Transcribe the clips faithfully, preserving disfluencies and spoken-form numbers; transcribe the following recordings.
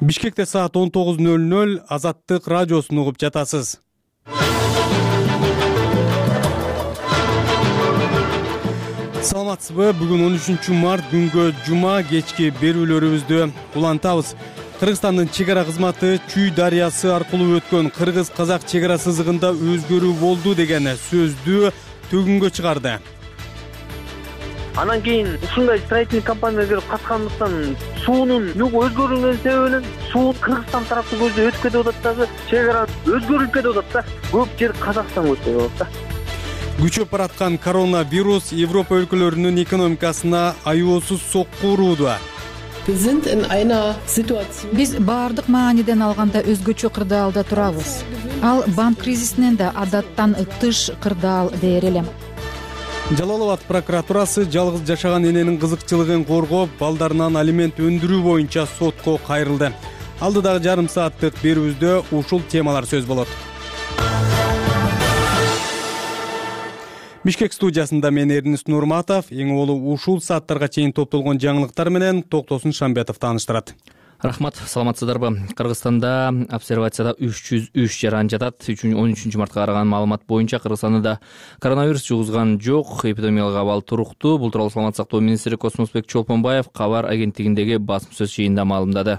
Бишкекте саат он тогуз ноль ноль Азаттык радиосун угуп жатасыз. Саламатсызбы? Бүгүн он үчүнчү март күнгө жума кечки берүүлөрүбүздү улантабыз. Кыргызстандын чек ара кызматы Чүй дарыясы аркылуу өткөн кыргыз-казак чек ара сызыгында өзгөрүү болду деген сөздү төгүнгө чыгарды. Анан кийин ушундай строительный компания келип каткандыктан суунун нугу өзгөрүлгөн себебинен суу Кыргызстан тараптуу көздөй өтүп кетип атат дагы, чек ара өзгөрүлүп кетип атат да. Көп жер Казакстанга өтүп кетип атат да. Күчөп бараткан коронавирус Европа өлкөлөрүнүн экономикасына аеосуз сокку урууду. Биз баардык мааниден алганда өзгөчө кырдаалда турабыз. Ал банк кризисинен да адаттан тыш кырдаал дээр элем. Жалал Абад прокуратурасы жалгыз жашаган эненин кызыкчылыгын коргоп, балдарынан алимент өндүрүү боюнча сотко кайрылды. Алдыдагы жарым сааттык берүүбүздө ушул темалар сөз болот. Бишкек студиясында мен Эрнис Нурматов, эң олу ушул сааттарга чейин топтолгон жаңылыктар менен Токтосун Шамбетов тааныштырат. Рахмат, саламатсыздарбы? Кыргызстанда обсервацияда үч жүз үч жаран жатат. он үчүнчү мартка караган маалымат боюнча Кыргызстанда коронавирус жугузган жок, эпидемиялык абал туруктуу. Бул тууралуу Саламаттык сактоо министри Космосбек Чолпонбаев кабар агенттигиндеги басма сөз жыйынында маалымдады.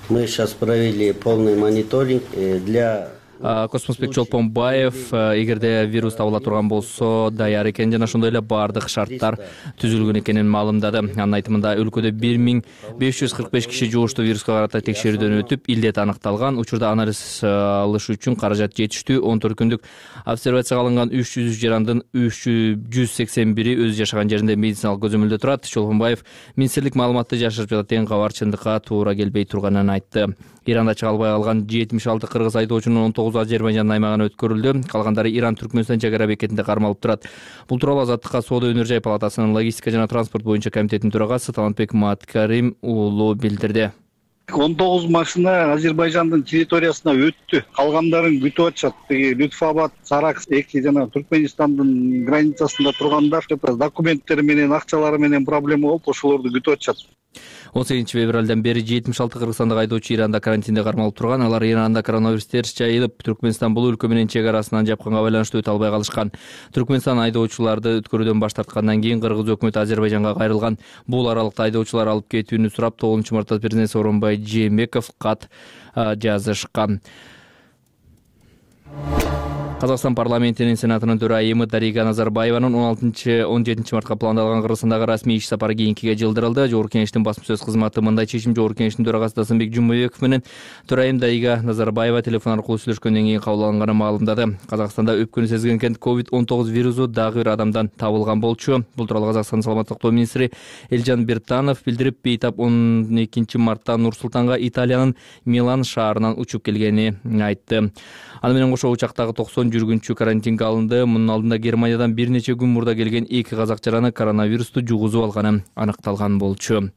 Мы сейчас провели полный мониторинг для Космосбек Чолпонбаев эгерде вирус табыла турган болсо даяр экенин жана ошондой эле баардык шарттар түзүлгөн экенин маалымдады. Анын айтымында өлкөдө бир миң беш жүз кырк беш киши жугуштуу вируска карата текшерүүдөн өтүп, илдет аныкталган. Учурда анализ алыш үчүн каражат жетиштүү. он төрт күндүк обсервацияга алынган үч жүз үч жарандын жүз сексен бири өз жашаган жеринде медициналык көзөмөлдө турат. Чолпонбаев министрлик маалыматты жашырып жатат деген кабар чындыкка туура келбей турганын айтты. Иранда чыга албай калган жетимиш алты кыргыз айдоочунун он тогузу Азербайжандын аймагына өткөрүлдү. Калгандары Иран Түркмөнстан чек ара бекетинде кармалып турат. Бул тууралуу Азаттыкка Соода өнөр жай палатасынын логистика жана транспорт боюнча комитетинин төрагасы Талантбек Маткарим уулу билдирди. он тогуз машина Азербайжандын территориясына өттү. Калгандарын күтүп атышат. Лютфабад, Сарак эки жана Түркмөнстандын границасында тургандар документтери менен, акчалары менен проблема болуп, ошолорду күтүп атышат. он сегизинчи февралдан бери жетимиш алты кыргызстандык айдоочу Иранда карантинде кармалып турган. Алар Иранда коронавирус терс жайылып, Түркмөнстан бул өлкө менен чек арасынан жапканга байланыштуу өтө албай калышкан. Түркмөнстан айдоочуларды өткөрүүдөн баш тарткандан кийин Кыргыз өкмөтү Азербайжанга кайрылган. Бул аралыкта айдоочулар алып кетүүнү сурап, тогузунчу мартта президент Сооронбай Жээнбеков кат жазышкан. Казакстан парламентинин сенатынын төрайымы Дарига Назарбаеванын он алтынчы он жетинчи мартка пландалган Кыргызстандагы расмий иш сапары кийинкиге жылдырылды. Жогорку Кеңештин басма сөз кызматы мындай чечим Жогорку Кеңештин төрагасы Дасынбек Жумабеков менен төрайым Дарига Назарбаева телефон аркылуу сүйлөшкөндөн кийин кабыл алынганын маалымдады. Казакстанда өпкөнү сезген экен, ковид он тогуз вирусу дагы бир адамдан табылган болчу. Бул тууралуу Казакстандын саламаттык сактоо министри Элжан Биртанов билдирип, бейтап он экинчи мартта Нур-Султанга Италиянын Милан шаарынан учуп келгенин айтты. Аны менен кошо учактагы токсон жүргүнчү карантинге алынды. Мунун алдында Германиядан бир нече күн мурда келген эки казак жараны коронавирусту жугузуп алганы аныкталган болчу.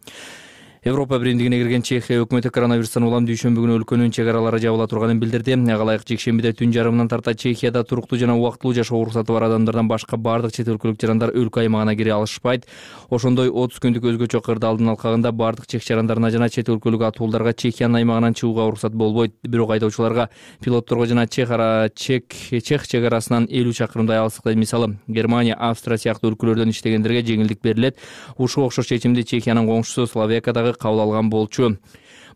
Европа биримдигине кирген Чехия өкмөтү коронавирустан улам дүйшөмбү күнү өлкөнүн чек аралары жабыла турганын билдирди. Ага ылайык жекшембиде түн жарымынан тарта Чехияда туруктуу жана убактылуу жашоо уруксаты бар адамдардан башка бардык чет өлкөлүк жарандар өлкө аймагына кире алышпайт. Ошондой отуз күндүк өзгөчө кырдаалдын алкагында бардык чек жарандарына жана чет өлкөлүк атуулдарга Чехиянын аймагынан чыгууга уруксат болбойт. Бирок айдоочуларга, пилотторго жана чек ара чек чех чек арасынан элүү чакырымдай алыстыкта, мисалы Германия, Австрия сыяктуу өлкөлөрдөн иштегендерге жеңилдик берилет. Ушуга окшош чечимди Чехиянын коңшусу Словакиядагы кабыл алган болчу.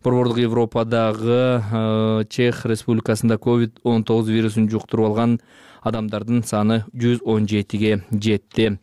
Борбордук Европадагы Чех Республикасында ковид он тогуз вирусун жуктуруп алган адамдардын саны жүз он жетиге жетти.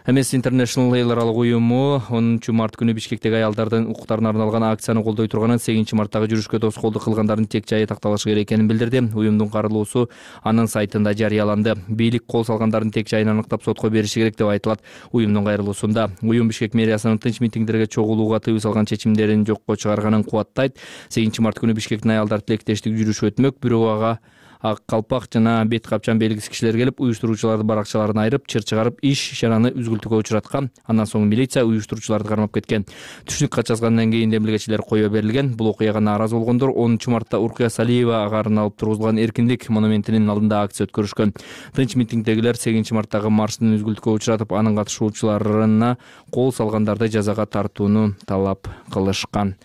Amnesty International эл аралык уюму онунчу март күнү Бишкектеги аялдардын укуктарына арналган акцияны колдой турганын, сегизинчи марттагы жүрүшкө тоскоолдук кылгандардын тек жайы такталышы керек экенин билдирди. Уюмдун каралуусу анын сайтында жарыяланды. Бийлик кол салгандардын тек жайын аныктап сотко бериши керек деп айтылат уюмдун кайрылуусунда. Уюм Бишкек мэриясынын тынч митингдерге чогулууга тыюу салган чечимдерин жокко чыгарганын кубаттайт. сегизинчи март күнү Бишкектин аялдар тилектештик жүрүшү өтмөк, бирок ага ак калпак жана бет капчан белгисиз кишилер келип, уюштуруучуларды баракчаларына айырып, чыр чыгарып, иш чараны үзгүлтүккө учураткан. Андан соң милиция уюштуруучуларды кармап кеткен. Түшүнүк кат жазгандан кийин демилгечилер коюу берилген. Бул окуяга нааразы болгондор онунчу мартта Уркуя Салиева агарын алып тургузулган Эркиндик монументинин алдында акция өткөрүшкөн. Тынч митингдегилер сегизинчи марттагы марштын үзгүлтүккө учуратып, анын катышуучуларына кол салгандарды жазага тартууну талап кылышкан.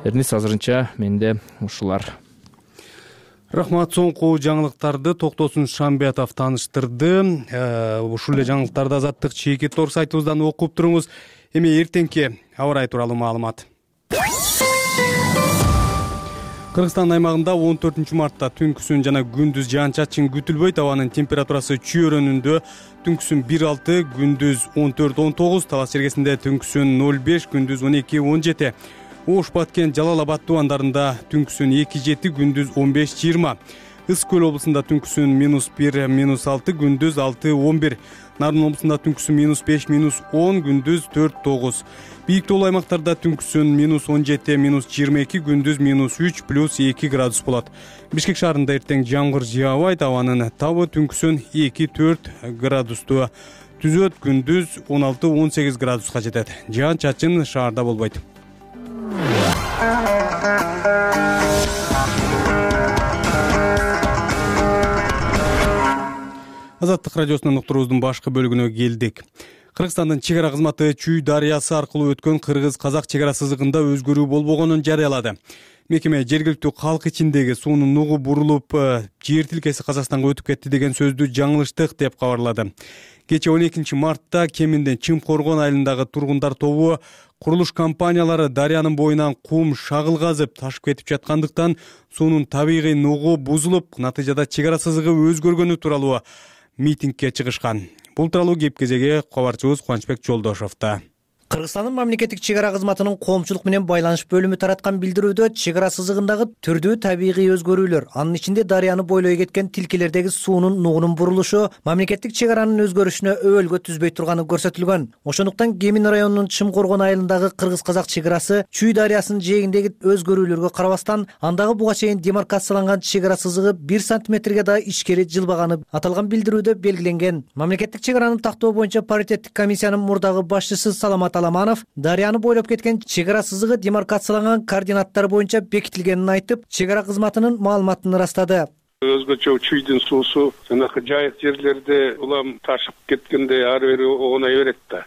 Эрнис, азырынча менде ушулар. Рахмат. Соңку жаңылыктарды Токтосун Шамбетов тааныштырды. Ушул эле жаңылыктарды Азаттык чийки тор сайтыбыздан окуп туруңуз. Эми эртеңки аба ырайы тууралуу маалымат. Кыргызстан аймагында он төртүнчү мартта түнкүсүн жана күндүз жаан-чачын күтүлбөйт. Абанын температурасы чүйөрөнүндө түнкүсүн бир алты, күндүз он төрт он тогуз, Талас чергесинде түнкүсүн ноль беш, күндүз он эки он жети. Ош, Баткен, Жалал Абад тубандарында түнкүсүн эки жети, күндүз он беш жыйырма. Ысык Көл облусунда түнкүсүн минус бир, минус алты, күндүз алты он бир. Нарын облусунда түнкүсүн минус беш, минус он, күндүз төрт тогуз. Бийик тоолуу аймактарда түнкүсүн минус он жети, минус жыйырма эки, күндүз минус үч, плюс эки градус болот. Бишкек шаарында эртең жамгыр жаабайт, абанын табы түнкүсүн эки төрт градусту түзөт, күндүз он алты он сегиз градуска жетет. Жаан-чачын шаарда болбойт. Азаттык радиосунун уктуруубуздун башкы бөлүгүнө келдик. Кыргызстандын чек ара кызматы Чүй дарыясы аркылуу өткөн кыргыз-казак чек ара сызыгында өзгөрүү болбогонун жарыялады. Мекеме жергиликтүү калк ичиндеги суунун нугу бурулуп, жер тилкеси Казакстанга өтүп кетти деген сөздү жаңылыштык деп кабарлады. Кечээ он экинчи мартта Кеминден Чымкоргон айылындагы тургундар тобу курулуш компаниялары дарыянын боюнан кум шагыл казып ташып кетип жаткандыктан суунун табигый нугу бузулуп, натыйжада чек ара сызыгы өзгөргөнү тууралуу митингге чыгышкан. Бул тууралуу кеп-кезеги кабарчыбыз Кубанычбек Жолдошовдо. Кыргызстандын мамлекеттик чек ара кызматынын коомчулук менен байланыш бөлүмү тараткан билдирүүдө чек ара сызыгындагы түрдүү табигый өзгөрүүлөр, анын ичинде дарыяны бойлой кеткен тилкелердеги суунун нугунун бурулушу мамлекеттик чек аранын өзгөрүшүнө өбөлгө түзбөй турганы көрсөтүлгөн. Ошондуктан Кемин районунун Чымкоргон айылындагы кыргыз-казак чек арасы Чүй дарыясынын жээгиндеги өзгөрүүлөргө карабастан андагы буга чейин демаркацияланган чек ара сызыгы бир сантиметрге да ичкери жылбаганы аталган билдирүүдө белгиленген. Мамлекеттик чек араны тактоо боюнча паритеттик комиссиянын мурдагы башчысы Саламат Аламанов дарыяны бойлоп кеткен чек ара сызыгы демаркацияланган координаттар боюнча бекитилгенин айтып, чек ара кызматынын маалыматын ырастады. Өзгөчө Чүйдүн суусу жанагы жайык жерлерде улам ташып кеткенде ары бери оонай берет да.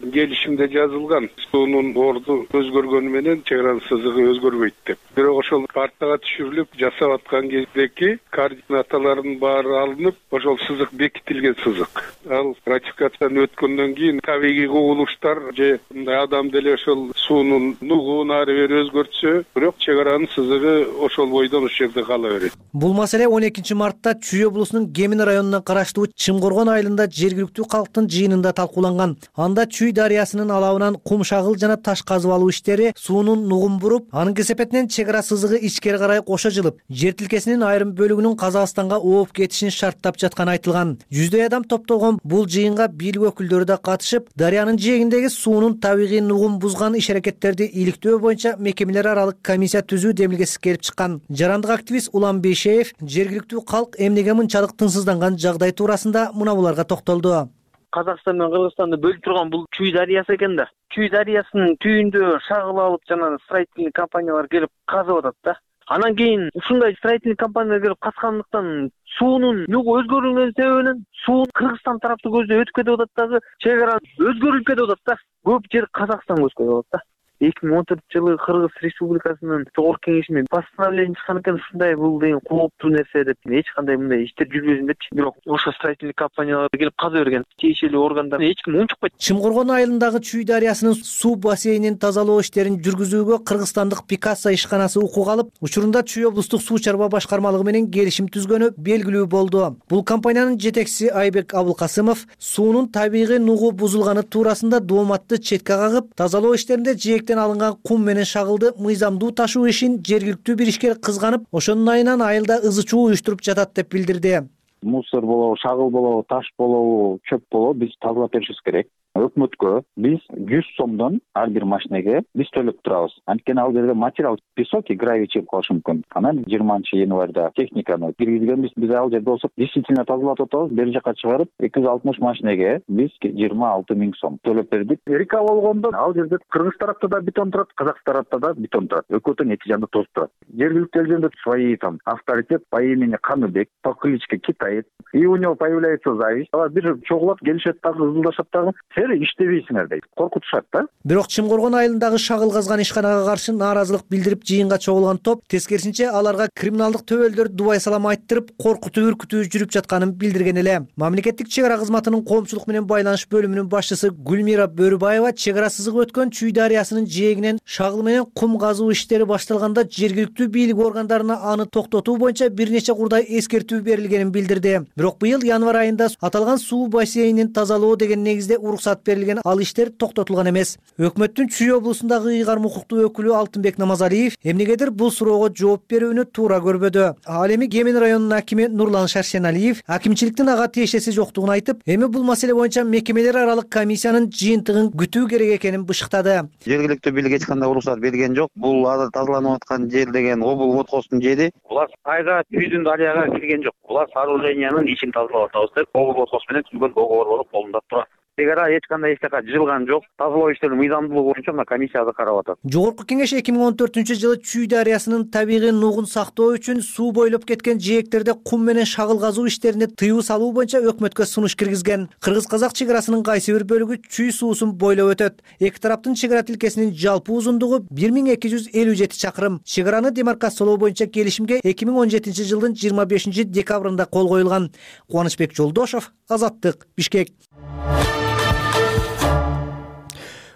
Келишимде жазылган суунун орду өзгөргөнү менен чек аранын сызыгы өзгөрбөйт деп. Бирок ошол картага түшүрүлүп жасап аткан кездеки координаталардын баары алынып, ошол сызык бекитилген сызык. Ал ратификацияны өткөндөн кийин табигый кубулуштар же мындай адам деле ошол суунун нугун ары бери өзгөртсө, бирок чек аранын сызыгы ошол бойдон ошол жерде кала берет. Бул маселе он экинчи мартта Чүй облусунун Кемин районуна караштуу Чымкоргон айылында жергиликтүү калктын жыйынында талкууланган. Анда Чүй дарыясынын алабынан кум шагыл жана таш казып алуу иштери суунун нугун буруп, анын кесепетинен чек ара сызыгы ичкери карай кошо жылып, жер тилкесинин айрым бөлүгүнүн Казакстанга ооп кетишин шарттап жатканы айтылган. Жүздөй адам топтолгон бул жыйынга бийлик өкүлдөрү да катышып, дарыянын жээгиндеги суунун табигый нугун бузган иш-аракеттерди иликтөө боюнча мекемелер аралык комиссия түзүү демилгеси келип чыккан. Жарандык активист Улам Бейшеев жергиликтүү калк эмнеге мынчалык тынчсызданган жагдай туурасында мына буларга токтолду. Казакстан менен Кыргызстанды бөлүп турган бул Чүй дарыясы экен да. Чүй дарыясынын түйүндө шагыл алып жана строительный компаниялар келип казып атат да. Анан кийин ушундай строительный компаниялар келип казгандыктан суунун нугу өзгөрүлгөн себебинен суу Кыргызстан тараптуу көздөй өтүп кетип атат дагы, чек ара өзгөрүлүп кетип атат да. Көп жер Казакстанга өтүп кетип атат да. эки миң он төртүнчү жылы Кыргыз Республикасынын Жогорку Кеңешинен постановление чыккан экен, ушундай бул деген кооптуу нерсе деп, эч кандай мындай иштер жүрбөсүн депчи. Бирок ошо строительный компаниялар келип каза берген, тиешелүү органдар эч ким унчукпайт. Чымкоргон айылындагы Чүй дарыясынын суу бассейнин тазалоо иштерин жүргүзүүгө кыргызстандык Пикассо ишканасы укук алып, учурунда Чүй облустук суу чарба башкармалыгы менен келишим түзгөнү белгилүү болду. Бул компаниянын жетекчиси Айбек Абылкасымов суунун табигый нугу бузулганы туурасында дооматты четке кагып, тазалоо иштеринде жээктен алынган кум менен шагылды мыйзамдуу ташуу ишин жергиликтүү бир ишкер кызганып, ошонун айынан айылда ызы чуу уюштуруп жатат деп билдирди. Мусор болобу, шагыл болобу, таш болобу, чөп болобу биз тазалап беришибиз керек. Өкмөткө биз жүз сомдон ар бир машинеге биз төлөп турабыз. Анткени ал жерде материал песок и гравий чыгып калышы мүмкүн. Анан жыйырманчы январда техниканы киргизгенбиз. Биз ал жерде болсо действительно тазалап атабыз. Бери жака чыгарып эки жүз алтымыш машинеге биз жыйырма алты миң сом төлөп бердик. Река болгондо ал жерде кыргыз тарапта да бетон турат, казак тарапта да бетон турат. Экөөтөн эки жагында тоз турат. Жергиликтүү элдерде свои там авторитет по имени Каныбек, по кличке Китай. И у него появляется зависть. Алар бир чогулап келишет дагы, ызылдашат дагы. силер иштебейсиңер дейт, коркутушат да. Бирок Чымкоргон айылындагы шагыл казган ишканага каршы нааразылык билдирип жыйынга чогулган топ тескерисинче аларга криминалдык төбөлдөр дубай салам айттырып коркутуу үркүтүү жүрүп жатканын билдирген эле. Мамлекеттик чек ара кызматынын коомчулук менен байланыш бөлүмүнүн башчысы Гүлмира Бөрүбаева чек ара сызыгы өткөн Чүй дарыясынын жээгинен шагыл менен кум казуу иштери башталганда жергиликтүү бийлик органдарына аны токтотуу боюнча бир нече курдай эскертүү берилгенин билдирди. Бирок быйыл январь айында аталган суу бассейнин тазалоо деген негизде уруксат берилген, ал иштер токтотулган эмес. Өкмөттүн Чүй облусундагы ыйгарым укуктуу өкүлү Алтынбек Намазалиев эмнегедир бул суроого жооп берүүнү туура көрбөдү. Ал эми Кемен районунун акими Нурлан Шаршеналиев акимчиликтин ага тиешеси жоктугун айтып, эми бул маселе боюнча мекемелер аралык комиссиянын жыйынтыгын күтүү керек экенин бышыктады. Жергиликтүү бийлик эч кандай уруксат берген жок. Бул тазаланып аткан жер деген Обул водхоздун жери. Булар айга Чүйдүн дарыяга кирген жок. Булар сооружениянын ичин тазалап атабыз деп Обул водхоз менен түзүлгөн договор болуп колунда турат. Чек ара эч кандай эч жака жылган жок. Тазалоо иштеринин мыйзамдуулугу боюнча мына комиссияда карап атат. Жогорку кеңеш эки миң он төртүнчү жылы Чүй дарыясынын табигый нугун сактоо үчүн суу бойлоп кеткен жээктерде кум менен шагыл казуу иштерине тыюу салуу боюнча өкмөткө сунуш киргизген. Кыргыз-казак чек арасынын кайсы бир бөлүгү Чүй суусун бойлоп өтөт. Эки тараптын чек ара тилкесинин жалпы узундугу бир миң эки жүз элүү жети чакырым. Чек араны демаркациялоо боюнча келишимге эки миң он жетинчи жылдын жыйырма бешинчи декабрында кол коюлган. Кубанычбек Жолдошов, Азаттык, Бишкек.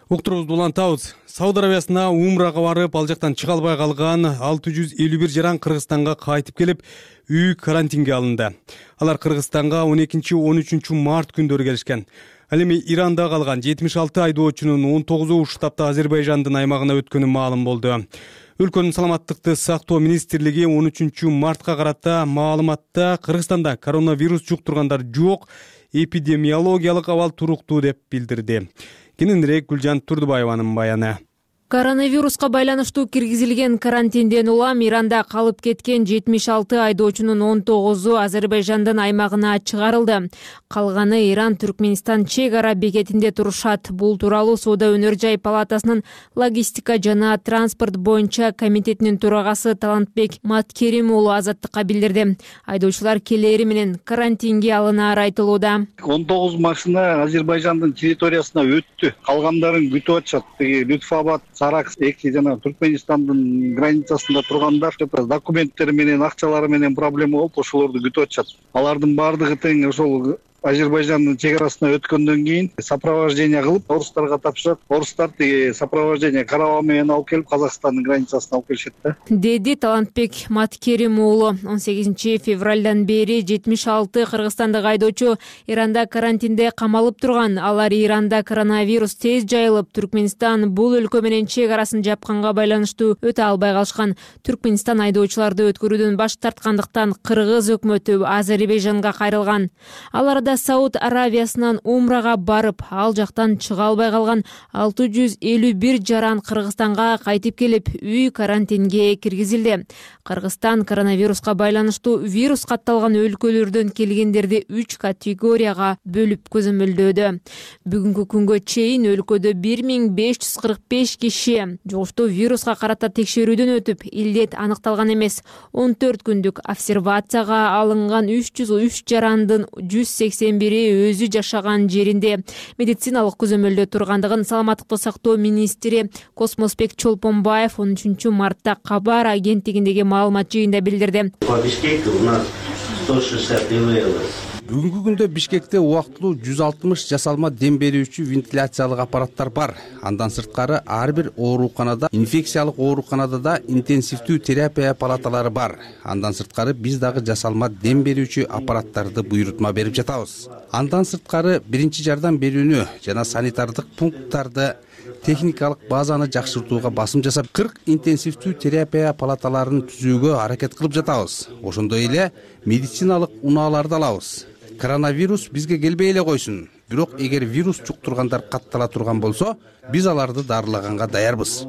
Уктурубузду улантабыз. Сауд Арабиясына умрага барып, ал жактан чыга албай калган алты жүз элүү бир жаран Кыргызстанга кайтып келип, үй карантинге алынды. Алар Кыргызстанга он экинчи он үчүнчү март күндөрү келишкен. Ал эми Иранда калган жетимиш алты айдоочунун он тогузу уштапта Азербайжандын аймагына өткөнү маалым болду. Өлкөнүн саламаттыкты сактоо министрлиги он үчүнчү мартка карата маалыматта Кыргызстанда коронавирус жуктургандар жок, эпидемиологиялык абал туруктуу деп билдирди. Кененирээк Гүлжан Турдубаеванын баяны. Коронавируска байланыштуу киргизилген карантинден улам Иранда калып кеткен жетимиш алты айдоочунун он тогузу Азербайжандын аймагына чыгарылды. Калганы Иран Түркмөнстан чек ара бекетинде турушат. Бул тууралуу Соода өнөр жай палатасынын логистика жана транспорт боюнча комитетинин төрагасы Талантбек Маткерим уулу Азаттыкка билдирди. Айдоочулар келери менен карантинге алынары айтылууда. он тогуз машина Азербайжандын территориясына өттү. Калгандарын күтүп атышат. Лютфабад, Саракс эки жана Түркмөнстандын границасында тургандар документтери менен, акчалары менен проблема болуп, ошолорду күтүп атышат. Алардын баардыгы тең ошол Азербайжандын чек арасына өткөндөн кийин сопровождение кылып, орустарга тапшырат. Орустар тиги сопровождение караба менен алып келип, Казакстандын границасына алып келишет да. Деди Талантбек Маткерим уулу. он сегизинчи февралдан бери жетимиш алты кыргызстандык айдоочу Иранда карантинде камалып турган. Алар Иранда коронавирус тез жайылып, Түркмөнстан бул өлкө менен чек арасын жапканга байланыштуу өтө албай калышкан. Түркмөнстан айдоочуларды өткөрүүдөн баш тарткандыктан Кыргыз өкмөтү Азербайжанга кайрылган. Аларда Сауд Арабиясынан умрага барып, ал жактан чыга албай калган алты жүз элүү бир жаран Кыргызстанга кайтып келип, үй карантинге киргизилди. Кыргызстан коронавируска байланыштуу вирус катталган өлкөлөрдөн келгендерди үч категорияга бөлүп көзөмөлдөөдө. Бүгүнкү күнгө чейин өлкөдө бир миң беш жүз кырк беш киши жугуштуу вируска карата текшерүүдөн өтүп, илдет аныкталган эмес. он төрт күндүк обсервацияга алынган үч жүз үч жарандын жүз сексен бири өзү жашаган жеринде медициналык көзөмөлдө тургандыгын саламаттыкты сактоо министри Космосбек Чолпонбаев он үчүнчү мартта Кабар агенттигиндеги маалымат жыйында билдирди. Бүгүнкү күндө Бишкекте убактылуу жүз алтымыш жасалма дем берүүчү вентиляциялык аппараттар бар. Андан сырткары ар бир ооруканада, инфекциялык ооруканада да интенсивдүү терапия палаталары бар. Андан сырткары биз дагы жасалма дем берүүчү аппараттарды буйрутма берип жатабыз. Андан сырткары биринчи жардам берүүнү жана санитардык пункттарды, техникалык базаны жакшыртууга басым жасап, кырк интенсивдүү терапия палаталарын түзүүгө аракет кылып жатабыз. Ошондой эле медициналык унааларды алабыз. Коронавирус бизге келбей эле койсун. Бирок эгер вирус жуктургандар каттала турган болсо, биз аларды дарылаганга даярбыз.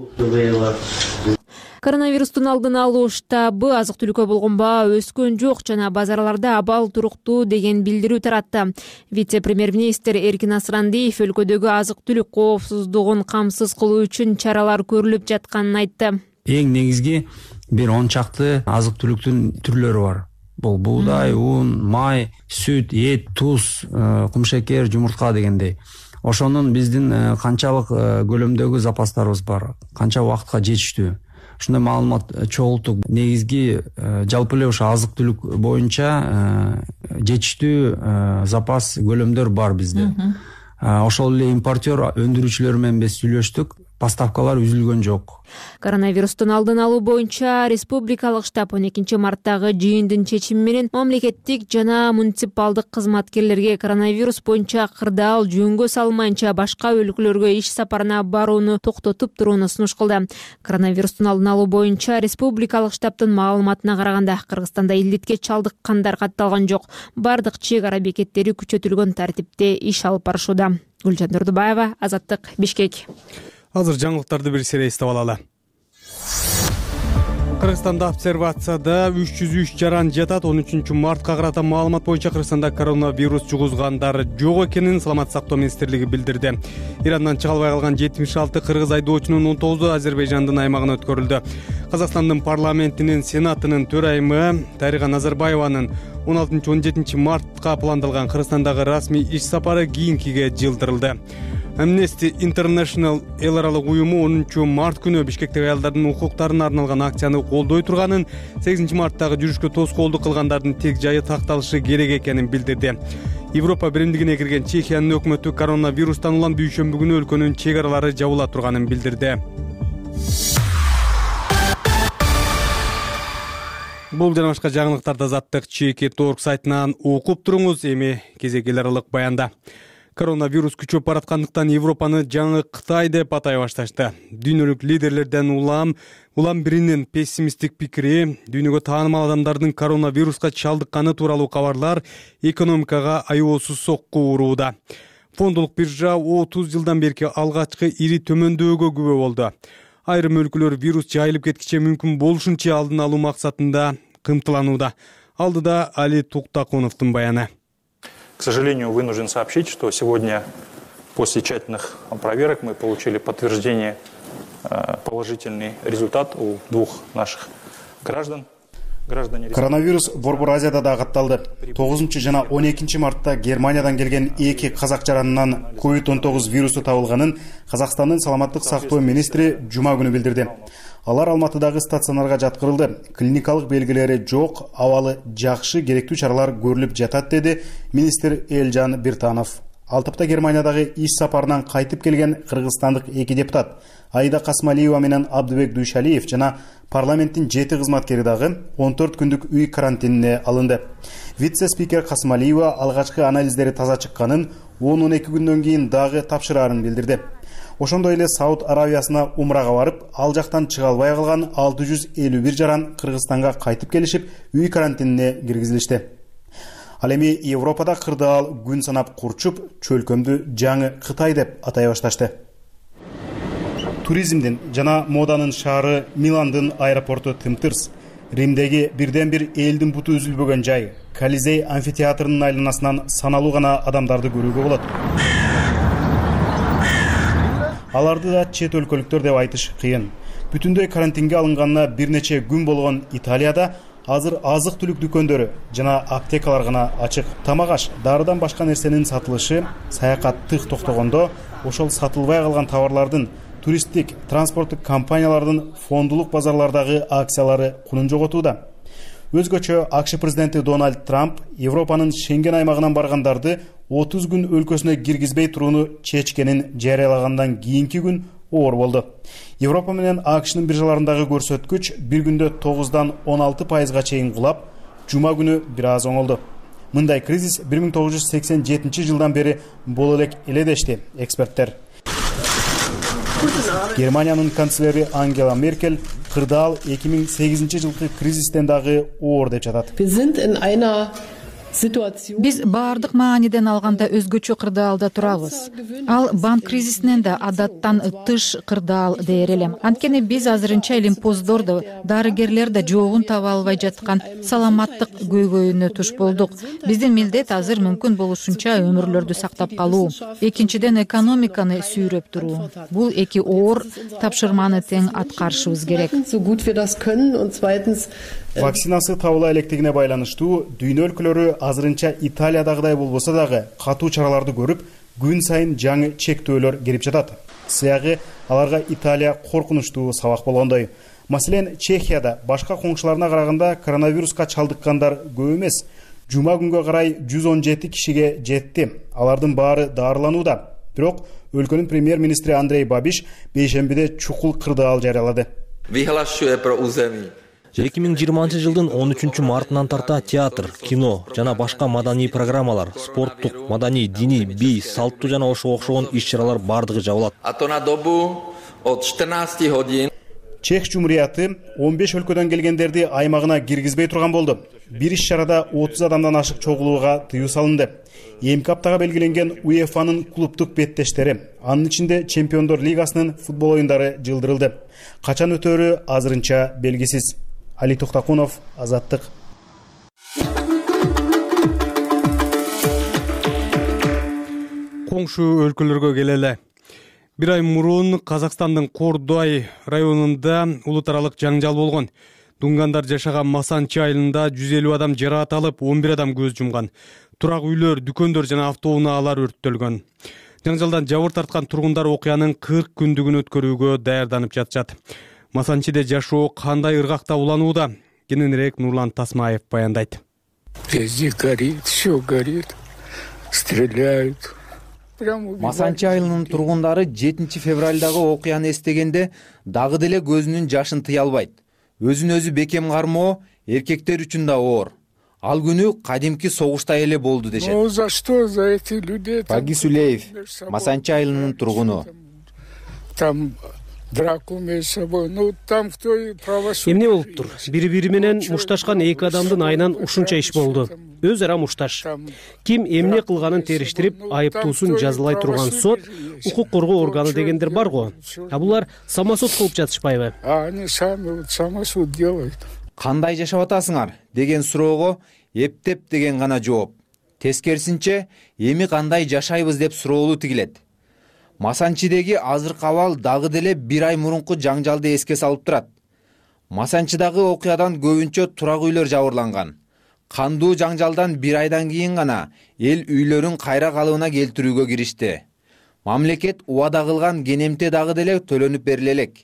Коронавирустун алдын алуу штабы азык-түлүккө болгон баа өскөн жок жана базарларда абал туруктуу деген билдирүү таратты. Вице-премьер-министр Эркин Асрандиев өлкөдөгү азык-түлүк коопсуздугун камсыз кылуу үчүн чаралар көрүлүп жатканын айтты. Эң негизги бир он чакты азык-түлүктүн түрлөрү бар. Бул буудай, ун, май, сүт, эт, туз, кумшекер, жумуртка дегендей. ошонун биздин канчалык көлөмдөгү запастарыбыз бар, канча убакытка жетиштүү, ушундай маалымат чогултуп, негизги жалпы эле ошо азык түлүк боюнча жетиштүү запас көлөмдөр бар бизде. Ошол эле импортер өндүрүүчүлөр менен биз сүйлөштүк, поставкалар үзүлгөн жок. Коронавирустун алдын алуу боюнча республикалык штаб он экинчи марттагы жыйындын чечими менен мамлекеттик жана муниципалдык кызматкерлерге коронавирус боюнча кырдаал жөнгө салмайынча башка өлкөлөргө иш сапарына барууну токтотуп турууну сунуш кылды. Коронавирустун алдын алуу боюнча республикалык штабтын маалыматына караганда Кыргызстанда илдетке чалдыккандар катталган жок. Бардык чек ара бекеттери күчөтүлгөн тартипте иш алып барышууда. Гүлжан Турдубаева, Азаттык, Бишкек. Азыр жаңылыктарды бир сере эстеп алалы. Кыргызстанда обсервацияда үч жүз үч жаран жатат. он үчүнчү мартка карата маалымат боюнча Кыргызстанда коронавирус жугузгандар жок экенин Саламаттык сактоо министрлиги билдирди. Ирандан чыга албай калган жетимиш алты кыргыз айдоочунун он тогузу Азербайжандын аймагына өткөрүлдү. Казакстандын парламентинин сенатынын төрайымы Дарига Назарбаеванын он алтынчы он жетинчи мартка пландалган Кыргызстандагы расмий иш сапары кийинкиге жылдырылды. Amnesty International эл аралык уюму онунчу март күнү Бишкектеги аялдардын укуктарына арналган акцияны колдой турганын, сегизинчи марттагы жүрүшкө тоскоолдук кылгандардын тек жайы такталышы керек экенин билдирди. Европа биримдигине кирген Чехиянын өкмөтү коронавирустан улам дүйшөмбү күнү өлкөнүн чек аралары жабыла турганын билдирди. Бул жана башка жаңылыктарды Азаттык чеки точка орг сайтынан окуп туруңуз. Эми кезек эл аралык баянда. Коронавирус күчөп бараткандыктан Европаны жаңы Кытай деп атай башташты. Дүйнөлүк лидерлерден улам улам биринин пессимисттик пикири, дүйнөгө таанымал адамдардын коронавируска чалдыкканы тууралуу кабарлар экономикага аеосуз сокку урууда. Фондулук биржа отуз жылдан берки алгачкы ири төмөндөөгө күбө болду. Айрым өлкөлөр вирус жайылып кеткиче мүмкүн болушунча алдын алуу максатында кымтыланууда. Алдыда Али Туктакуновдун баяны. К сожалению, вынужден сообщить, что сегодня после тщательных проверок мы получили подтверждение, положительный результат у двух наших граждан. Коронавирус Борбор Азияда да катталды. тогузунчу жана он экинчи мартта Германиядан келген эки казак жаранынан ковид он тогуз вирусу табылганын Казакстандын саламаттык сактоо министри жума күнү билдирди. Алар Алматыдагы стационарга жаткырылды. Клиникалык белгилери жок, абалы жакшы, керектүү чаралар көрүлүп жатат, деди министр Элжан Биртанов. Ал тапта Германиядагы иш сапарынан кайтып келген кыргызстандык эки депутат Аида Касмалиева менен Абдыбек Дүйшалиев жана парламенттин жети кызматкери дагы он төрт күндүк үй карантинине алынды. Вице-спикер Касмалиева алгачкы анализдери таза чыкканын, он он эки күндөн кийин дагы тапшырарын билдирди. Ошондой эле Сауд Аравиясына умрага барып, ал жактан чыга албай калган алты жүз элүү бир жаран Кыргызстанга кайтып келишип, үй карантинине киргизилишти. Ал эми Европада кырдаал күн санап курчуп, чөлкөмдү жаңы Кытай деп атай башташты. Туризмдин жана моданын шаары Миландын аэропорту тымтырс. Римдеги бирден бир элдин буту үзүлбөгөн жай, Колизей амфитеатрынын айланасынан саналуу гана адамдарды көрүүгө болот. Аларды да чет өлкөлүктөр деп айтыш кыйын. Бүтүндөй карантинге алынганына бир нече күн болгон Италияда азыр азык түлүк дүкөндөрү жана аптекалар гана ачык. Тамак аш, дарыдан башка нерсенин сатылышы саякат тык токтогондо, ошол сатылбай калган товарлардын туристтик, транспорттук компаниялардын фондулук базарлардагы акциялары кунун жоготууда. Өзгөчө АКШ президенти Дональд Трамп Европанын Шенген аймагынан баргандарды отуз күн өлкөсүнө киргизбей турууну чечкенин жарыялагандан кийинки күн оор болду. Европа менен АКШнын биржаларындагы көрсөткүч бир күндө тогуздан он алты пайызга чейин кулап, жума күнү бир аз оңолду. Мындай кризис бир миң тогуз жүз сексен жетинчи жылдан бери боло элек эле дешти эксперттер. Германиянын канцлери Ангела Меркель кырдаал эки миң сегизинчи жылкы кризистен дагы оор деп жатат. Биз баардык мааниден алганда өзгөчө кырдаалда турабыз. Ал банк кризисинен да адаттан тыш кырдаал дээр элем. Анткени биз азырынча элимпоздорду, дарыгерлер да жоогун таба албай жаткан саламаттык көйгөйүнө туш болдук. Биздин милдет азыр мүмкүн болушунча өмүрлөрдү сактап калуу, экинчиден экономиканы сүйрөп туруу. Бул эки оор тапшырманы тең аткарышыбыз керек. Вакцинасы табыла электигине байланыштуу дүйнө өлкөлөрү азырынча Италиядагыдай болбосо дагы катуу чараларды көрүп, күн сайын жаңы чектөөлөр кирип жатат. Сыягы аларга Италия коркунучтуу сабак болгондой. Маселен, Чехияда башка коңшуларына караганда коронавируска чалдыккандар көп эмес. Жума күнгө карай жүз он жети кишиге жетти. Алардын баары дарыланууда. Бирок өлкөнүн премьер-министри Андрей Бабиш бейшембиде чукул кырдаал жарыялады. эки миң жыйырманчы жылдын он үчүнчү мартынан тарта театр, кино жана башка маданий программалар, спорттук, маданий, диний, бий, салттуу жана ошого окшогон иш-чаралар бардыгы жабылат. Чех жумурияты он беш өлкөдөн келгендерди аймагына киргизбей турган болду. Бир иш-чарада отуз адамдан ашык чогулууга тыюу салынды. Эмки аптага белгиленген УЕФАнын клубдук беттештери, анын ичинде Чемпиондор лигасынын футбол оюндары жылдырылды. Качан өтөрү азырынча белгисиз. Али Токтакунов, Азаттык. Коңшу өлкөлөргө келели. Бир ай мурун Казакстандын Кордой районунда улут аралык жаңжал болгон. Дунгандар жашаган Масанчы айылында жүз элүү адам жараат алып, он бир адам көз жумган. Турак үйлөр, дүкөндөр жана автоунаалар өрттөлгөн. Жаңжалдан жабыр тарткан тургундар окуянын кырк күндүгүн өткөрүүгө даярданып жатышат. Масанчыда жашоо кандай ыргакта уланууда? Кененирээк Нурлан Тасмаев баяндайт. Везде горит, все горит, стреляют. Масанчы айылынын тургундары жетинчи февралдагы окуяны эстегенде дагы деле көзүнүн жашын тыя албайт. Өзүн өзү бекем кармоо эркектер үчүн да оор. Ал күнү кадимки согуштай эле болду дешет. Ну за что за эти людей? Баги Сулеев, Масанчы айылынын тургуну. Там драку между собой. Ну там кто правосудие. Эмне болуптур? Бири-бири менен мушташкан эки адамдын айынан ушунча иш болду. Өз ара мушташ. Ким эмне кылганын териштирип, айыптуусун жазылай турган сот, укук коргоо органы дегендер бар го. А булар самосуд кылып жатышпайбы? А они сами вот самосуд делают. Кандай жашап атасыңар деген суроого эптеп деген гана жооп. Тескерисинче, эми кандай жашайбыз деп суроолу тигилет. Масанчыдеги азыркы абал дагы деле бир ай мурунку жаңжалды эске салып турат. Масанчыдагы окуядан көбүнчө турак үйлөр жабырланган. Кандуу жаңжалдан бир айдан кийин гана эл үйлөрүн кайра калыбына келтирүүгө киришти. Мамлекет убада кылган кенемте дагы деле төлөнүп бериле элек.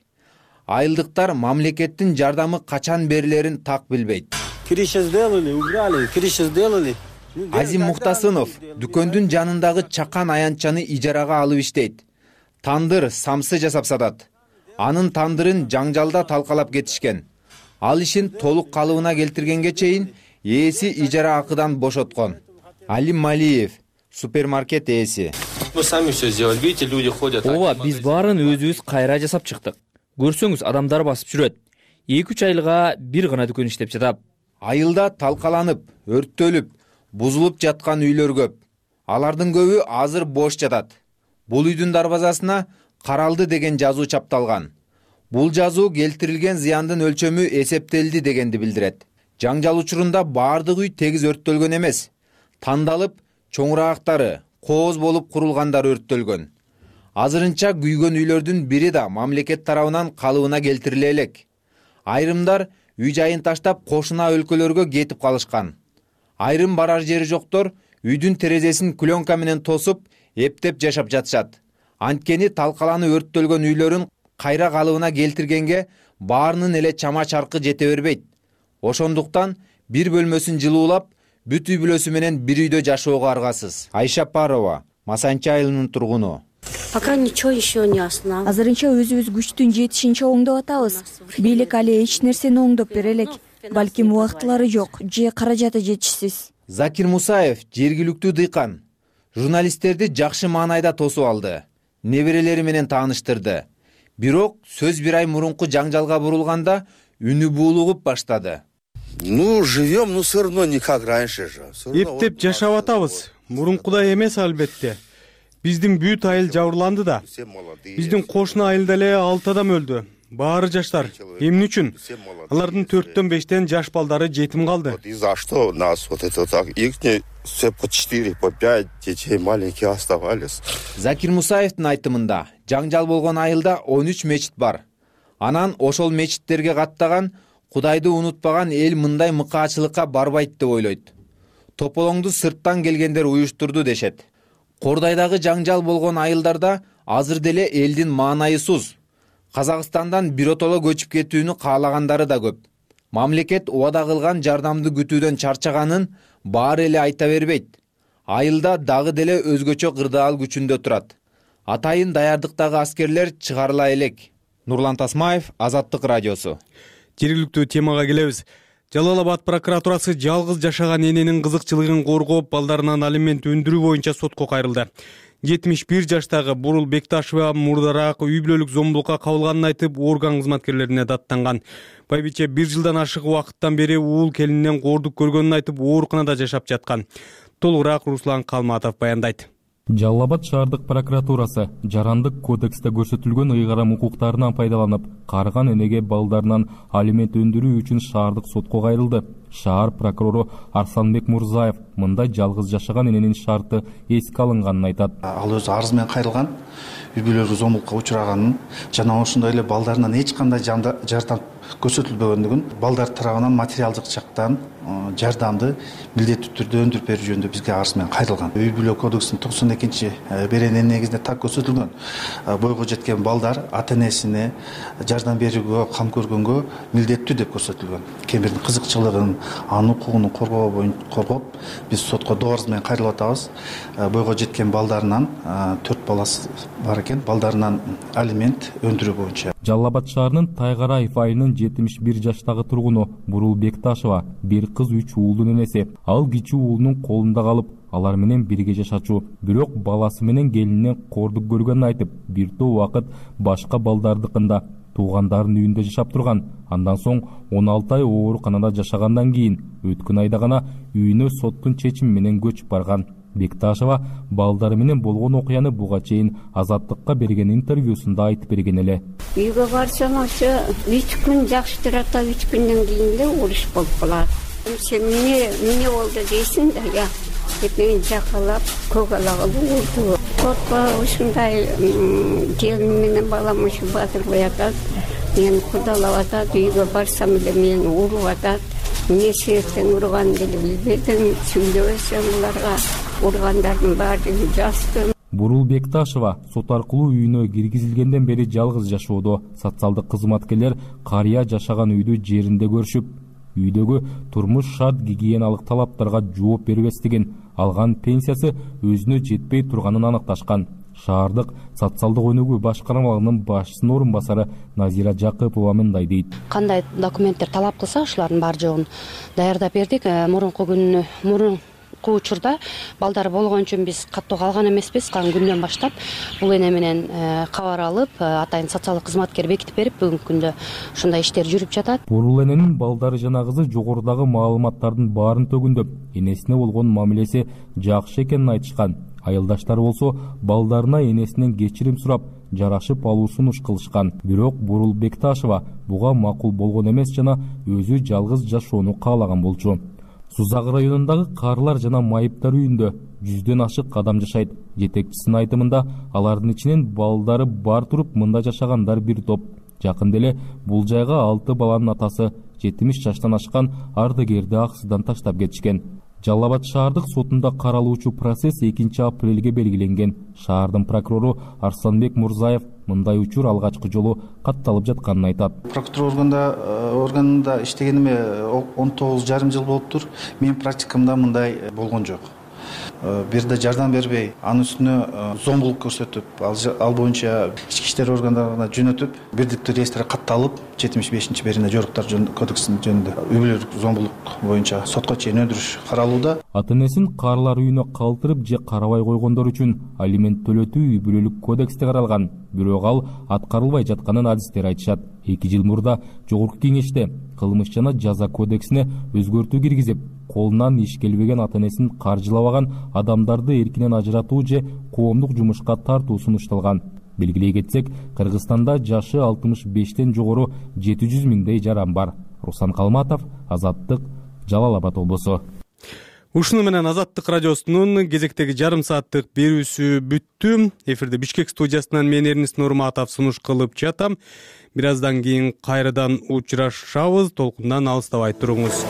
Айылдыктар мамлекеттин жардамы качан берилерин так билбейт. Азим Мухтасынов дүкөндүн жанындагы чакан аянтчаны ижарага алып иштейт. Тандыр, самсы жасап сатат. Анын тандырын жаңжалда талкалап кетишкен. Ал ишин толук калыбына келтиргенге чейин ээси ижара акыдан бошоткон. Алим Малиев, супермаркет ээси. Ооба, биз баарын өзүбүз кайра жасап чыктык. Көрсөңүз, адамдар басып жүрөт. эки үч айылга бир гана дүкөн иштеп жатат. Айылда талкаланып, өрттөлүп, бузулуп жаткан үйлөр көп. Алардын көбү азыр бош жатат. Бул үйдүн дарбазасына каралды деген жазуу чапталган. Бул жазуу келтирилген зыяндын өлчөмү эсептелди дегенди билдирет. Жаңжал учурунда баардык үй тегиз өрттөлгөн эмес. Тандалып, чоңураагактары, кооз болуп курулгандары өрттөлгөн. Азырынча күйгөн үйлөрдүн бири да мамлекет тарабынан калыбына келтириле элек. Айрымдар үй жайын таштап кошуна өлкөлөргө кетип калышкан. Айрым барар жери жоктор үйдүн терезесин клёнка менен тосуп, эптеп жашап жатышат. Анткени талкаланы өрттөлгөн үйлөрүн кайра калыбына келтиргенге баарынын эле чама чаркы жете бербейт. Ошондуктан бир бөлмөсүн жылуулап, бүт үй бүлөсү менен бир үйдө жашоого аргасыз. Айша Парова, Масанчы айылынын тургуну. Пока ничего еще не основано. Азырынча өзүбүз күчтүн жетишинче оңдоп атабыз. Бийлик али эч нерсени оңдоп бере элек. Балким убактылары жок, же каражаты жетишсиз. Закир Мусаев, жергиликтүү дыйкан, журналисттерди жакшы маанайда тосуп алды. Неберелери менен тааныштырды. Бирок сөз бир ай мурунку жаңжалга бурулганда үнү буулугуп баштады. Ну, живем, ну все равно не как раньше же. Эптеп жашап атабыз. Мурункудай эмес албетте. Биздин бүт айыл жабырланды да. Биздин кошуна айылда эле алты адам өлдү. Баары жаштар. Эмне үчүн? Алардын төрттөн бештен жаш балдары жетим калды. И за что нас вот это так? Их все по четыре, по пять детей маленькие оставались. Закир Мусаевдин айтымында, жаңжал болгон айылда он үч мечит бар. Анан ошол мечиттерге каттаган, Кудайды унутпаган эл мындай мыкаачылыкка барбайт деп ойлойт. Тополоңду сырттан келгендер уюштурду дешет. Кордайдагы жаңжал болгон айылдарда азыр деле элдин маанайысыз Казакстандан биротоло көчүп кетүүнү каалагандары да көп. Мамлекет убада кылган жардамды күтүүдөн чарчаганын баары эле айта бербейт. Айылда дагы деле өзгөчө кырдаал күчүндө турат. Атайын даярдыктагы аскерлер чыгарыла элек. Нурлан Тасмаев, Азаттык радиосу. Жергиликтүү темага келебиз. Жалал Абад прокуратурасы жалгыз жашаган эненин кызыкчылыгын коргоп, балдарынан алимент өндүрүү боюнча сотко кайрылды. жетимиш бир жаштагы Бурул Бекташева мурдараак үй бүлөлүк зомбулукка кабылганын айтып, орган кызматкерлерине даттанган. Байбиче бир жылдан ашык убакыттан бери уул келининен коордук көргөнүн айтып, ооруканада жашап жаткан. Толугураак Руслан Калматов баяндайт. Жалал Абад шаардык прокуратурасы жарандык кодексте көрсөтүлгөн ыйгарым укуктарынан пайдаланып, карыган энеге балдарынан алимент өндүрүү үчүн шаардык сотко кайрылды. Шаар прокурору Арсланбек Мурзаев мындай жалгыз жашаган эненин шарты эске алынганын айтат. Ал өзү арыз менен кайрылган, үй бүлөлүк зомбулукка учураганын жана ошондой эле балдарынан эч кандай жардам көрсөтүлбөгөндүгүн, балдар тарабынан материалдык жактан жардамды милдеттүү түрдө өндүрүп берүү жөнүндө бизге арыз менен кайрылган. Үй бүлө кодексинин токсон экинчи беренеси негизинде так көрсөтүлгөн. Бойго жеткен балдар ата энесине жардам берүүгө, кам көргөнгө милдеттүү деп көрсөтүлгөн. Ким бирдин кызыкчылыгын, анын укугун коргоо боюнча коргоп, биз сотко дооруз менен кайрылып атабыз. Бойго жеткен балдарынан төрт баласы бар экен, балдарынан алимент өндүрүү боюнча. Жалал Абад шаарынын Тайгараев айылынын жетимиш бир жаштагы тургуну Бурул Бекташева бир кыз үч уулдун энеси. Ал кичүү уулунун колунда калып, алар менен бирге жашачу. Бирок баласы менен келининен коордук көргөнүн айтып, бир топ убакыт башка балдардыкында туугандарынын үйүндө жашап турган. Андан соң он алты ай ооруканада жашагандан кийин өткөн айда гана үйүнө соттун чечими менен көчүп барган. Бекташева балдары менен болгон окуяны буга чейин Азаттыкка берген интервьюсунда айтып берген эле. Үйгө барсам ошо үч күн жакшы турат, үч күндөн кийин эле уруш болуп калат. Сен эмне эмне болду дейсиң да, я деп мени жакалап, көгалагалы урду. Сотко ушундай келин менен балам ушу батырбай атат, мени кудалап атат, үйгө барсам эле мени уруп атат. Эмне себептен урганын деле билбедим, сүйлөбөсөм буларга. Ургандардын баардыгын жаздым. Бурул Бекташева сот аркылуу үйүнө киргизилгенден бери жалгыз жашоодо. Социалдык кызматкерлер карыя жашаган үйдү жеринде көрүшүп, үйдөгү турмуш шарт гигиеналык талаптарга жооп бербестигин, алган пенсиясы өзүнө жетпей турганын аныкташкан. Шаардык социалдык өнүгүү башкармалыгынын башчысынын орун басары Назира Жакыпова мындай дейт. Кандай документтер талап кылса, ошолордун баары жогун даярдап бердик. Мурунку күнү мурун учурда балдар болгон үчүн биз каттоо калган эмеспиз. Калган күндөн баштап бул эне менен кабар алып, атайын социалдык кызматкер бекитип берип, бүгүнкү күндө ушундай иштер жүрүп жатат. Бурул эненин балдары жана кызы жогорудагы маалыматтардын баарын төгүндөп, энесине болгон мамилеси жакшы экенин айтышкан. Айылдаштары болсо балдарына энесинен кечирим сурап, жарашып алуу сунуш кылышкан. Бирок Бурул Бекташева буга макул болгон эмес жана өзү жалгыз жашоону каалаган болчу. Сузак районундагы карылар жана майыптар үйүндө жүздөн ашык адам жашайт. Жетекчисинин айтымында, алардын ичинен балдары бар туруп мында жашагандар бир топ. Жакында эле бул жайга алты баланын атасы жетимиш жаштан ашкан ардыгерди акысыздан таштап кетишкен. Жалал Абад шаардык сотунда каралуучу процесс экинчи апрелге белгиленген. Шаардын прокурору Арсланбек Мурзаев мындай учур алгачкы жолу катталып жатканын айтат. Прокуратура органда органында иштегениме он тогуз жарым жыл болуптур. Менин практикамда мындай болгон жок. Бир да жардам бербей, анын үстүнө зомбулук көрсөтүп, ал боюнча ички иштер органдарына жөнөтүп, бирдиктүү реестрге катталып, жетимиш бешинчи берене жоруктар кодексинин жөнүндө үй бүлөлүк зомбулук боюнча сотко чейин өндүрүш каралууда. Ата энесин карылар үйүнө калтырып же карабай койгондор үчүн алимент төлөтүү үй бүлөлүк кодексте каралган. Бирок ал аткарылбай жатканын адистер айтышат. эки жыл мурда жогорку кеңеште кылмыш жана жаза кодексине өзгөртүү киргизип, колунан иш келбеген ата энесин каржылабаган адамдарды эркинен ажыратуу же коомдук жумушка тартуу сунушталган. Белгилей кетсек, Кыргызстанда жашы алтымыш бештен жогору жети жүз миңдей жаран бар. Руслан Калматов, Азаттык, Жалал Абад облусу. Ушуну менен Азаттык радиосунун кезектеги жарым сааттык берүүсү бүттү. Эфирде Бишкек студиясынан мен Эрнис Нурматов сунуш кылып жатам. Бир аздан кийин кайрадан учурашабыз. Толкундан алыстабай туруңуз.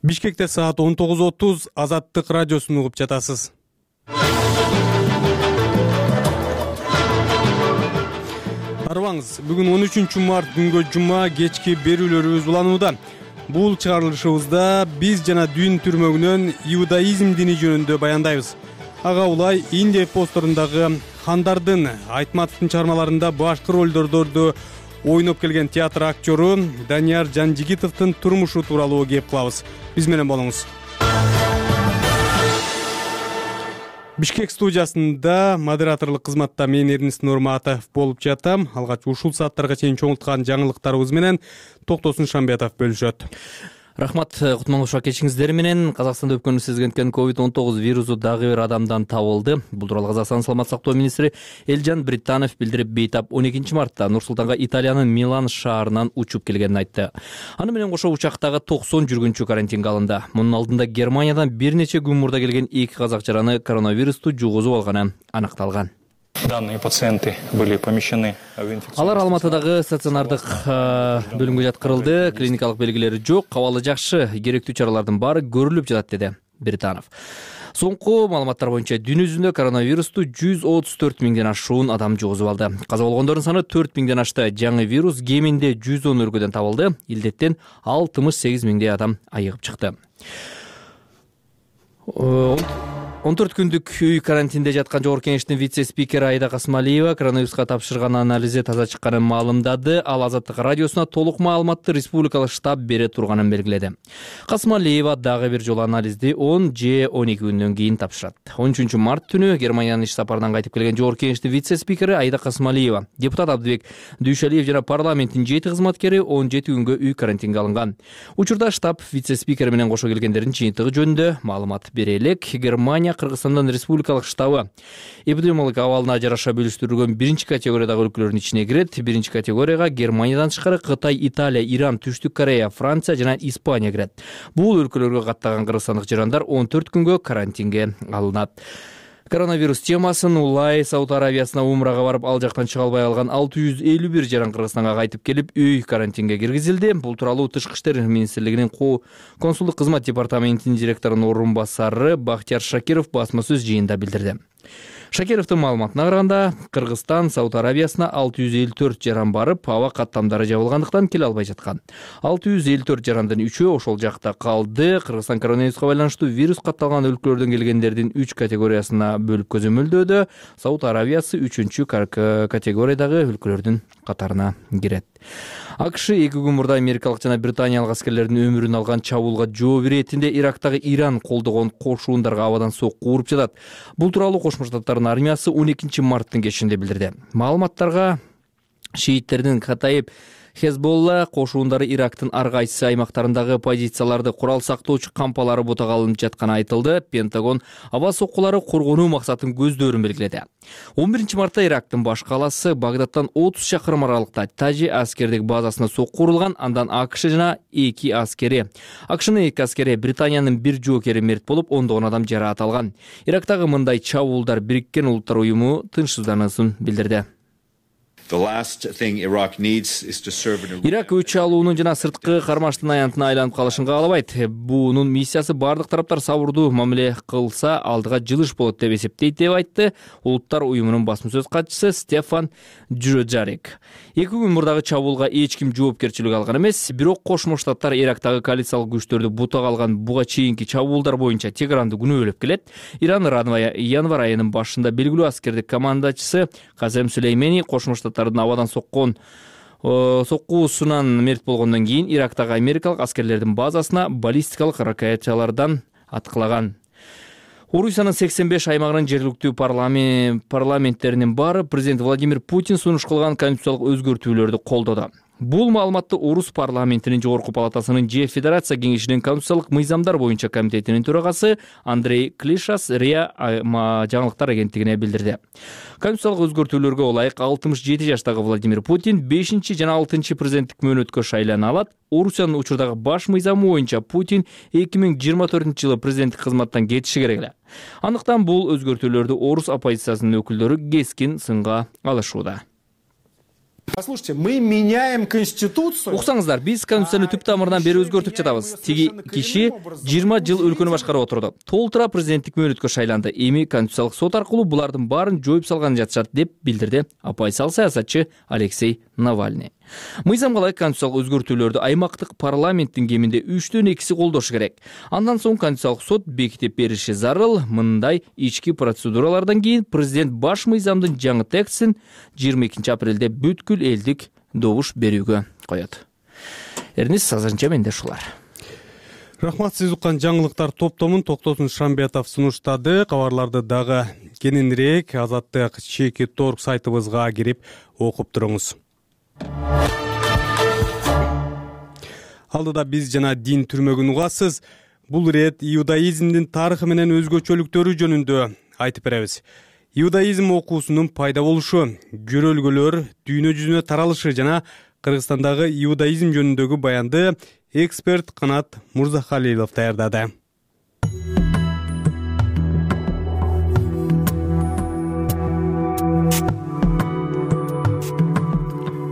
Бишкекте саат он тогуз отуз Азаттык радиосун угуп жатасыз. Арыбаңыз, бүгүн он үчүнчү март күнгө жума кечки берүүлөрүбүз уланууда. Бул чыгарылышыбызда биз жана дүйн түрмөгүнөн иудаизм дини жөнүндө баяндайбыз. Ага улай Индия эпосторундагы хандардын, Айтматовдун чыгармаларында башкы ролдордорду ойноп келген театр актёру Данияр Жанжигитовдун турмушу тууралуу кеп кылабыз. Биз менен болуңуз. Бишкек студиясында модераторлук кызматта мен Эрнест Нурматов болуп жатам. Алгач ушул сааттарга чейин чоңулткан жаңылыктарыбыз менен Токтосун Шамбетов бөлүшөт. Рахмат, кутманлуу кечиңиздер менен. Казакстанда өпкөнү сезгенткен ковид он тогуз вирусу дагы бир адамдан табылды. Бул тууралуу Казакстан саламат сактоо министри Элжан Британов билдирип, бейтап он экинчи мартта Нур Султанга Италиянын Милан шаарынан учуп келгенин айтты. Аны менен кошо учактагы токсон жүргүнчү карантинге алынды. Мунун алдында Германиядан бир нече күн мурда келген эки казак жараны коронавирусту жугузуп алганы аныкталган. Данные пациенты были помещены в инфекционный. Алар Алматыдагы стационардык бөлүмгө жаткырылды. Клиникалык белгилери жок, абалы жакшы, керектүү чаралардын баары көрүлүп жатат, деди Британов. Соңку маалыматтар боюнча дүйнө жүзүндө коронавирусту жүз отуз төрт миңден ашуун адам жугузуп алды. Каза болгондордун саны төрт миңден ашты. Жаңы вирус кеминде жүз он өлкөдөн табылды. Илдеттен алтымыш сегиз миңдей адам айыгып чыкты. он төрт күндүк үй карантинде жаткан Жогорку Кеңештин вице-спикери Айда Касмалиева коронавируска тапшырган анализи таза чыкканын маалымдады. Ал Азаттык радиосуна толук маалыматты республикалык штаб бере турганын белгиледи. Касмалиева дагы бир жолу анализди он же он эки күндөн кийин тапшырат. он үчүнчү март түнү Германиянын иш сапарынан кайтып келген Жогорку Кеңештин вице-спикери Айда Касмалиева, депутат Абдыбек Дүйшалиев жана парламенттин жети кызматкери он жети күнгө үй карантинге алынган. Учурда штаб вице-спикери менен кошо келгендердин жыйынтыгы жөнүндө маалымат бере элек. Германия Кыргызстандын республикалык штабы эпидемиологик абалына жараша бөлүштүрүлгөн биринчи категориядагы өлкөлөрдүн ичине кирет. Биринчи категорияга Германиядан тышкары Кытай, Италия, Иран, Түштүк Корея, Франция жана Испания кирет. Бул өлкөлөргө каттаган кыргызстандык жарандар он төрт күнгө карантинге алынат. Коронавирус темасын улай Сауд Арабиясына умрага барып, ал жактан чыга албай калган алты жүз элүү бир жаран Кыргызстанга кайтып келип, үй карантинге киргизилди. Бул тууралуу Тышкы иштер министрлигинин консулдук кызмат департаментинин директорунун орун басары Бахтияр Шакиров басма сөз жыйында билдирди. Шакировдун маалыматына караганда, Кыргызстан Сауд Арабиясына алты жүз элүү төрт жаран барып, аба каттамдары жабылгандыктан келе албай жаткан. алты жүз элүү төрт жарандын үчөө ошол жакта калды. Кыргызстан коронавируска байланыштуу вирус катталган өлкөлөрдөн келгендердин үч категориясына бөлүп көзөмөлдөөдө. Сауд Арабиясы үчүнчү категориядагы өлкөлөрдүн катарына кирет. АКШ эки күн мурда америкалык жана британиялык аскерлердин өмүрүн алган чабуулга жооп иретинде Ирактагы Иран колдогон кошуундарга абадан сокку уруп жатат. Бул тууралуу Кошмо Штаттардын армиясы он экинчи марттын кечинде билдирди. Маалыматтарга шииттердин Катаиб Хезболла кошуундары Ирактын ар кайсы аймактарындагы позицияларды курал сактоочу кампалары бутага алынып жатканы айтылды. Пентагон аба соккулары коргонуу максатын көздөрүн белгиледи. он биринчи мартта Ирактын баш калаасы Багдадтан отуз чакырым аралыкта Таджи аскердик базасына сокку урулган. Андан АКШ жана эки аскери, АКШнын эки аскери, Британиянын бир жоокери мерт болуп, ондогон адам жараат алган. Ирактагы мындай чабуулдар Бириккен Улуттар уюму тынчсызданууун билдирди. Ирак өч алуунун жана сырткы кармаштын аянтына айланып калышын каалабайт. Бунун миссиясы бардык тараптар сабырдуу мамиле кылса алдыга жылыш болот деп эсептейт, деп айтты Улуттар уюмунун басма сөз катчысы Стефан Джуджарик. Эки күн мурдагы чабуулга эч ким жоопкерчилик алган эмес, бирок Кошмо Штаттар Ирактагы коалициялык күчтөрдү бутага алган буга чейинки чабуулдар боюнча Тегеранды күнөөлөп келет. Иран январь айынын башында белгилүү аскердик командачысы Казем Сүлеймени Кошмо Штаттар абадан соккон соккуусунан мерт болгондон кийин Ирактагы америкалык аскерлердин базасына баллистикалык ракеталардан аткылаган. Орусиянын сексен беш аймагынын жергиликтүү парламенттеринин баары президент Владимир Путин сунуш кылган конституциялык өзгөртүүлөрдү колдоду. Бул маалыматты Орус парламентинин жогорку палатасынын же Федерация кеңешинин конституциялык мыйзамдар боюнча комитетинин төрагасы Андрей Клишас РИА жаңылыктар агенттигине билдирди. Конституциялык өзгөртүүлөргө ылайык алтымыш жети жаштагы Владимир Путин бешинчи жана алтынчы президенттик мөөнөткө шайлана алат. Орусиянын учурдагы баш мыйзамы боюнча Путин эки миң жыйырма төртүнчү жылы президенттик кызматтан кетиши керек эле. Андыктан бул өзгөртүүлөрдү Орус оппозициясынын өкүлдөрү кескин сынга алышууда. Послушайте, мы меняем конституцию. Уксаңыздар, биз конституцияны түп тамырынан бери өзгөртүп жатабыз. Тиги киши жыйырма жыл өлкөнү башкарып отурду. Толтура президенттик мөөнөткө шайланды. Эми конституциялык сот аркылуу булардын баарын жоюп салган жатышат деп билдирди оппозициялык саясатчы Алексей Навальный. Мыйзамга ылайык конституциялык өзгөртүүлөрдү аймактык парламенттин кеминде үчтөн экиси колдошу керек. Андан соң конституциялык сот бекитип бериши зарыл. Мындай ички процедуралардан кийин президент баш мыйзамдын жаңы текстин жыйырма экинчи апрелде бүткүл элдик добуш берүүгө коет. Эрнис, азырынча менде ушулар. Рахмат, сиз уккан жаңылыктар топтомун Токтосун Шамбетов сунуштады. Кабарларды дагы кененирээк Азаттык чеки торг сайтыбызга кирип окуп туруңуз. Алдыда биз жана дин түрмөгүн угасыз. Бул ирет иудаизмдин тарыхы менен өзгөчөлүктөрү жөнүндө айтып беребиз. Иудаизм окуусунун пайда болушу, көрөлгөлөр дүйнө жүзүнө таралышы жана Кыргызстандагы иудаизм жөнүндөгү баянды эксперт Канат Мурзахалилов даярдады.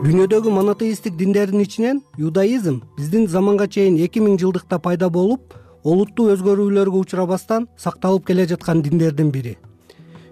Дүйнөдөгү монотеисттик диндердин ичинен иудаизм биздин заманга чейин эки миң жылдыкта пайда болуп, олуттуу өзгөрүүлөргө учурабастан сакталып келе жаткан диндердин бири.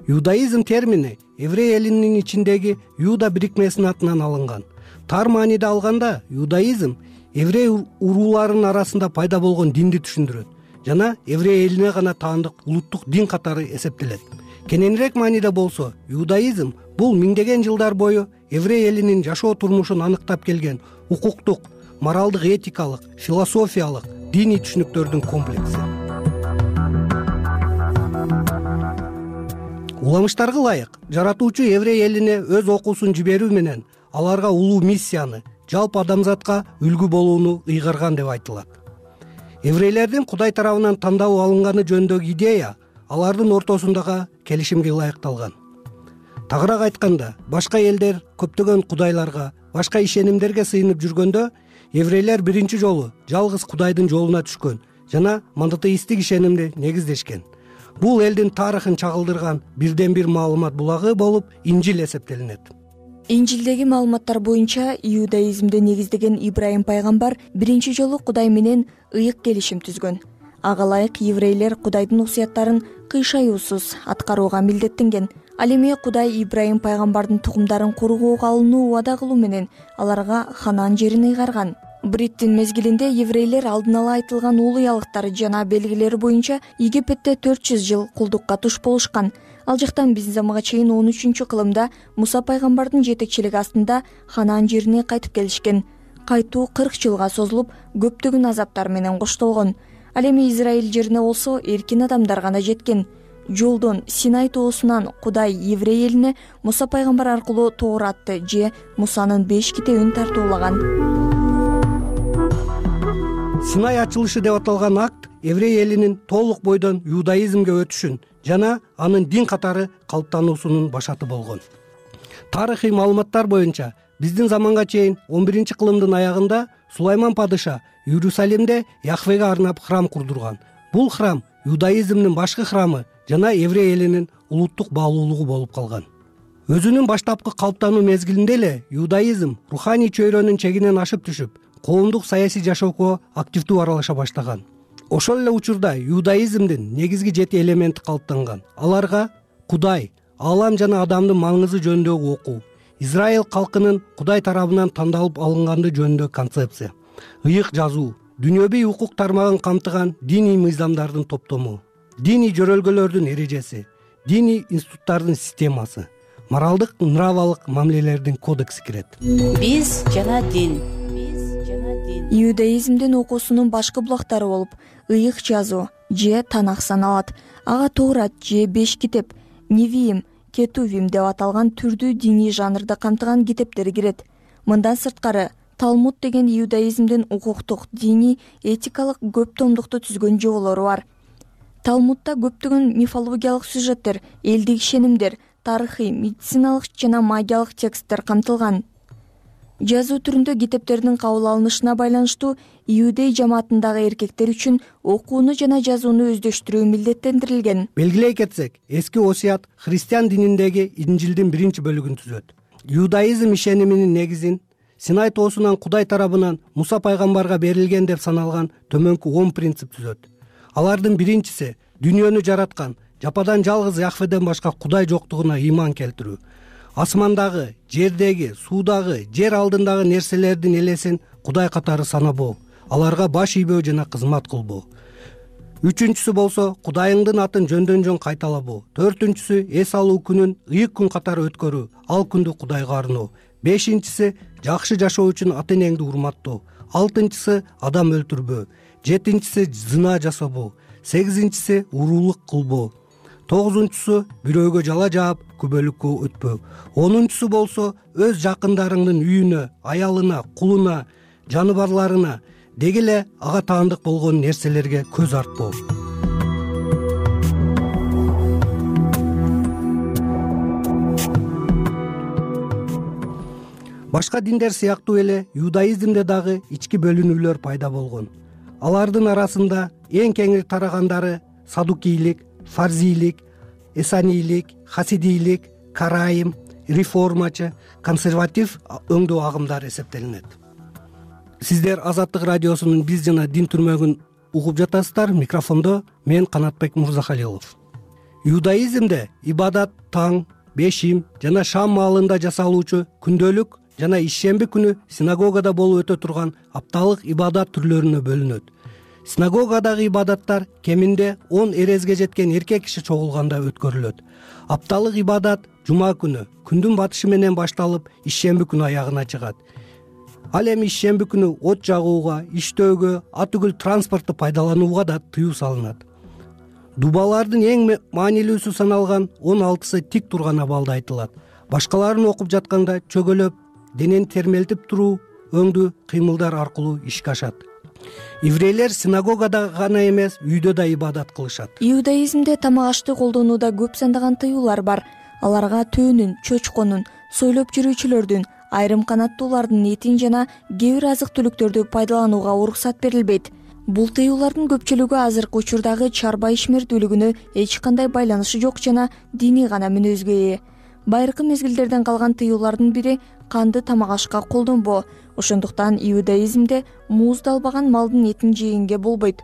Иудаизм термини еврей элинин ичиндеги Иуда бирикмесинин атынан алынган. Тар мааниде алганда, иудаизм еврей урууларынын арасында пайда болгон динди түшүндүрөт жана еврей элине гана таандык улуттук дин катары эсептелет. Кененирээк мааниде болсо, иудаизм бул миңдеген жылдар бою еврей элинин жашоо турмушун аныктап келген укуктук, моралдык, этикалык, философиялык, диний түшүнүктөрдүн комплекси. Уламыштарга ылайык, жаратуучу еврей элине өз окуусун жиберүү менен аларга улуу миссияны, жалпы адамзатка үлгү болууну ыйгарган деп айтылат. Еврейлердин Кудай тарабынан тандалып алынганы жөнүндөгү идея алардын ортосундагы келишимге ылайыкталган. Тагыраак айтканда, башка элдер көптөгөн кудайларга, башка ишенимдерге сыйынып жүргөндө, еврейлер биринчи жолу жалгыз Кудайдын жолуна түшкөн жана монотеисттик ишенимди негиздешкен. Бул элдин тарыхын чагылдырган бирден бир маалымат булагы болуп Инжил эсептелинет. Инжилдеги маалыматтар боюнча иудаизмди негиздеген Ибрайым пайгамбар биринчи жолу Кудай менен ыйык келишим түзгөн. Ага ылайык еврейлер Кудайдын усуяттарын кыйшаюусуз аткарууга милдеттенген. Ал эми Кудай Ибрайым пайгамбардын тукумдарын коргоого алынуу убада кылуу менен аларга Ханан жерин ыйгарган. Бриттин мезгилинде еврейлер алдын ала айтылган улуялыктары жана белгилери боюнча Египетте төрт жүз жыл кулдукка туш болушкан. Ал жактан биздин заманга чейин он үчүнчү кылымда Муса пайгамбардын жетекчилиги астында Ханан жерине кайтып келишкен. Кайтуу кырк жылга созулуп, көптөгөн азаптар менен коштолгон. Ал эми Израиль жерине болсо эркин адамдар гана жеткен. Жолдон Синай тоосунан Кудай еврей элине Муса пайгамбар аркылуу Тооратты же Мусанын беш китебин тартуулаган. Синай ачылышы деп аталган акт еврей элинин толук бойдон иудаизмге өтүшүн жана анын дин катары калыптануусунун башаты болгон. Тарыхый маалыматтар боюнча биздин заманга чейин он биринчи кылымдын аягында Сулайман падыша Иерусалимде Яхвеге арнап храм курдурган. Бул храм иудаизмдин башкы храмы жана еврей элинин улуттук баалуулугу болуп калган. Өзүнүн баштапкы калыптануу мезгилинде эле иудаизм руханий чөйрөнүн чегинен ашып түшүп, коомдук саясий жашоого активдүү аралаша баштаган. Ошол эле учурда иудаизмдин негизги жети элементи калыптанган. Аларга Кудай, Алам жана адамдын маңызы жөнүндөгү окуу, Израиль калкынын Кудай тарабынан тандалып алынганды жөнүндөгү концепция, ыйык жазуу, дүйнөбүй укук тармагын камтыган диний мыйзамдардын топтому, диний жөрөлгөлөрдүн эрежеси, диний институттардын системасы, моралдык, нравалык мамилелердин кодекси кирет. Биз жана дин. Иудаизмдин окуусунун башкы булактары болуп, ыйык жазуу же Танах саналат. Ага Тоорат же беш китеп, Невиим, Кетувим деп аталган түрдүү диний жанрды камтыган китептер кирет. Мындан сырткары Талмуд деген иудаизмдин укуктук, диний, этикалык көп томдукту түзгөн жоболору бар. Талмудда көптөгөн мифологиялык сюжеттер, элдик ишенимдер, тарыхый, медициналык жана магиялык тексттер камтылган. Жазуу түрүндө китептердин кабыл алынышына байланыштуу иудей жамаатындагы эркектер үчүн окууну жана жазууну өздөштүрүү милдеттендирилген. Белгилей кетсек, эски осуят христиан дининдеги Инжилдин биринчи бөлүгүн түзөт. иудаизм ишениминин негизин Синай тоосунан Кудай тарабынан Муса пайгамбарга берилген деп саналган төмөнкү он принцип түзөт. Алардын биринчиси дүйнөнү жараткан жападан жалгыз Яхведен башка Кудай жоктугуна ыйман келтирүү. Асмандагы, жердеги, суудагы, жер алдындагы нерселердин элесин Кудай катары санабоо, аларга баш ийбөө жана кызмат кылбоо. Үчүнчүсү болсо Кудайыңдын атын жөндөн жөн кайталабоо. Төртүнчүсү эс алуу күнүн ыйык күн катары өткөрүү, ал күндү Кудайга арноо. Бешинчиси жакшы жашоо үчүн ата-энеңди урматтоо. Алтынчысы адам өлтүрбөө. Жетинчиси зына жасабоо. Сегизинчиси уруулук кылбоо. Тогузунчусу бирөөгө жала жаап күбөлүккө өтпөө. Онунчусу болсо өз жакындарыңдын үйүнө, аялына, кулуна, жаныбарларына, деги эле ага таандык болгон нерселерге көз артпоо. Башка диндер сыяктуу эле иудаизмде дагы ички бөлүнүүлөр пайда болгон. Алардын арасында эң кеңири тарагандары садукийлик, фарзийлик, эсанийлик, хасидийлик, карайым, реформачы, консерватив өңдүү агымдар эсептелинет. Сиздер Азаттык радиосунун биз жана дин түрмөгүн угуп жатасыздар. Микрофондо мен Канатбек Мурзахалилов. Иудаизмде ибадат таң, бешим жана шам маалында жасалуучу күндөлүк жана ишемби күнү синагогада болуп өтө турган апталык ибадат түрлөрүнө бөлүнөт. Синагогадагы ибадаттар кеминде он эрезге жеткен эркек киши чогулганда өткөрүлөт. Апталык ибадат жума күнү күндүн батышы менен башталып, ишемби күнү аягына чыгат. Ал эми ишемби күнү от жагууга, иштөөгө, ат үгүл транспорту пайдаланууга да тыюу салынат. Дубалардын эң маанилүүсү саналган он алтысы тик турган абалда айтылат. Башкаларын окуп жатканда чөгөлөп, денени термелтип туруу өңдүү кыймылдар аркылуу ишке ашат. Еврейлер синагогада гана эмес, үйдө да ибадат кылышат. Иудаизмде тамак ашты колдонууда көп сандаган тыюулар бар. Аларга төөнүн, чөчкөнүн, сойлоп жүрүүчүлөрдүн, айрым канаттуулардын этин жана кээ бир азык түлүктөрдү пайдаланууга уруксат берилбейт. Бул тыюулардын көпчүлүгү азыркы учурдагы чарба ишмердүүлүгүнө эч кандай байланышы жок жана диний гана мүнөзгө ээ. Байыркы мезгилдерден калган тыюулардын бири канды тамак ашка колдонбоо. Ошондуктан иудаизмде мууздалбаган малдын этин жегенге болбойт.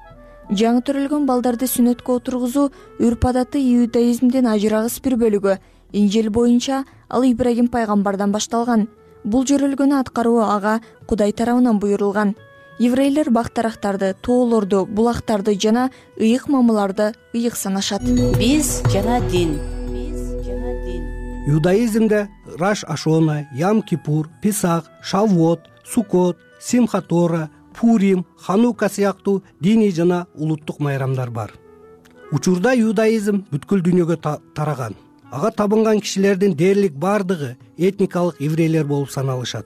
Жаңы төрөлгөн балдарды сүннөткө отургузуу үрп адаты иудаизмдин ажырагыс бир бөлүгү. Инжил боюнча ал Ибрагим пайгамбардан башталган. Бул жөрөлгөнү аткаруу ага Кудай тарабынан буйрулган. Еврейлер бактарактарды, тоолорду, булактарды жана ыйык мамыларды ыйык санашат. Биз жана дин. Иудаизмде Раш Ашона, Ям Кипур, Писах, Шаввот, Суккот, Симха Тора, Пурим, Ханука сыяктуу диний жана улуттук майрамдар бар. Учурда иудаизм бүткүл дүйнөгө тараган. Ага табынган кишилердин дээрлик бардыгы этникалык еврейлер болуп саналышат.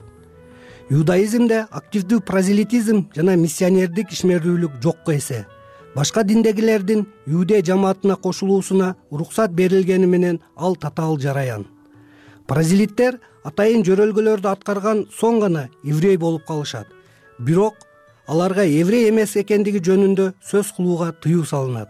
Иудаизмде активдүү прозелитизм жана миссионердик ишмердүүлүк жокко эсе. Башка диндегилердин иудей жамаатына кошулуусуна уруксат берилгени менен ал татаал жараян. Прозелиттер атайын жөрөлгөлөрдү аткарган соң гана еврей болуп калышат. Бирок аларга еврей эмес экендиги жөнүндө сөз кылууга тыюу салынат.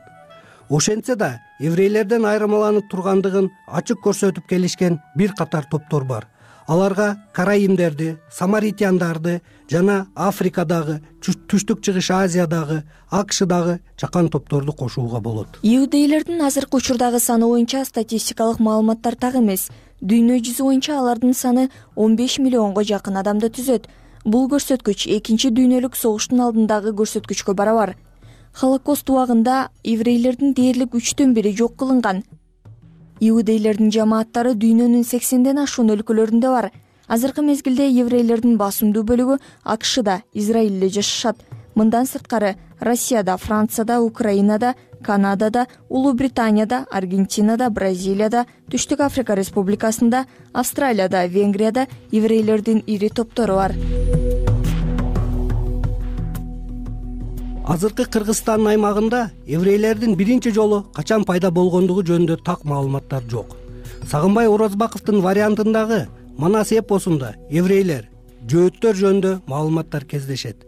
Ошентсе да еврейлерден айырмаланып тургандыгын ачык көрсөтүп келишкен бир катар топтор бар. Аларга караимдерди, самаритяндарды жана Африкадагы, Түштүк Чыгыш Азиядагы, АКШдагы чакан топторду кошууга болот. Иудейлердин азыркы учурдагы саны боюнча статистикалык маалыматтар так эмес. Дүйнө жүзү боюнча алардын саны он беш миллионго жакын адамды түзөт. Бул көрсөткүч экинчи дүйнөлүк согуштун алдындагы көрсөткүчкө барабар. Холокост убагында еврейлердин дээрлик үчтөн бири жок кылынган. Иудейлердин жамааттары дүйнөнүн сексенден ашуун өлкөлөрүндө бар. Азыркы мезгилде еврейлердин басымдуу бөлүгү АКШда, Израилде жашашат. Мындан сырткары Россияда, Францияда, Украинада, Канадада, Улуу Британияда, Аргентинада, Бразилияда, Түштүк Африка Республикасында, Австралияда, Венгрияда еврейлердин ири топтору бар. Азыркы Кыргызстан аймагында еврейлердин биринчи жолу качан пайда болгондугу жөнүндө так маалыматтар жок. Сагынбай Орозбаковдун вариантындагы Манас эпосунда еврейлер, жөөттөр жөнүндө маалыматтар кездешет.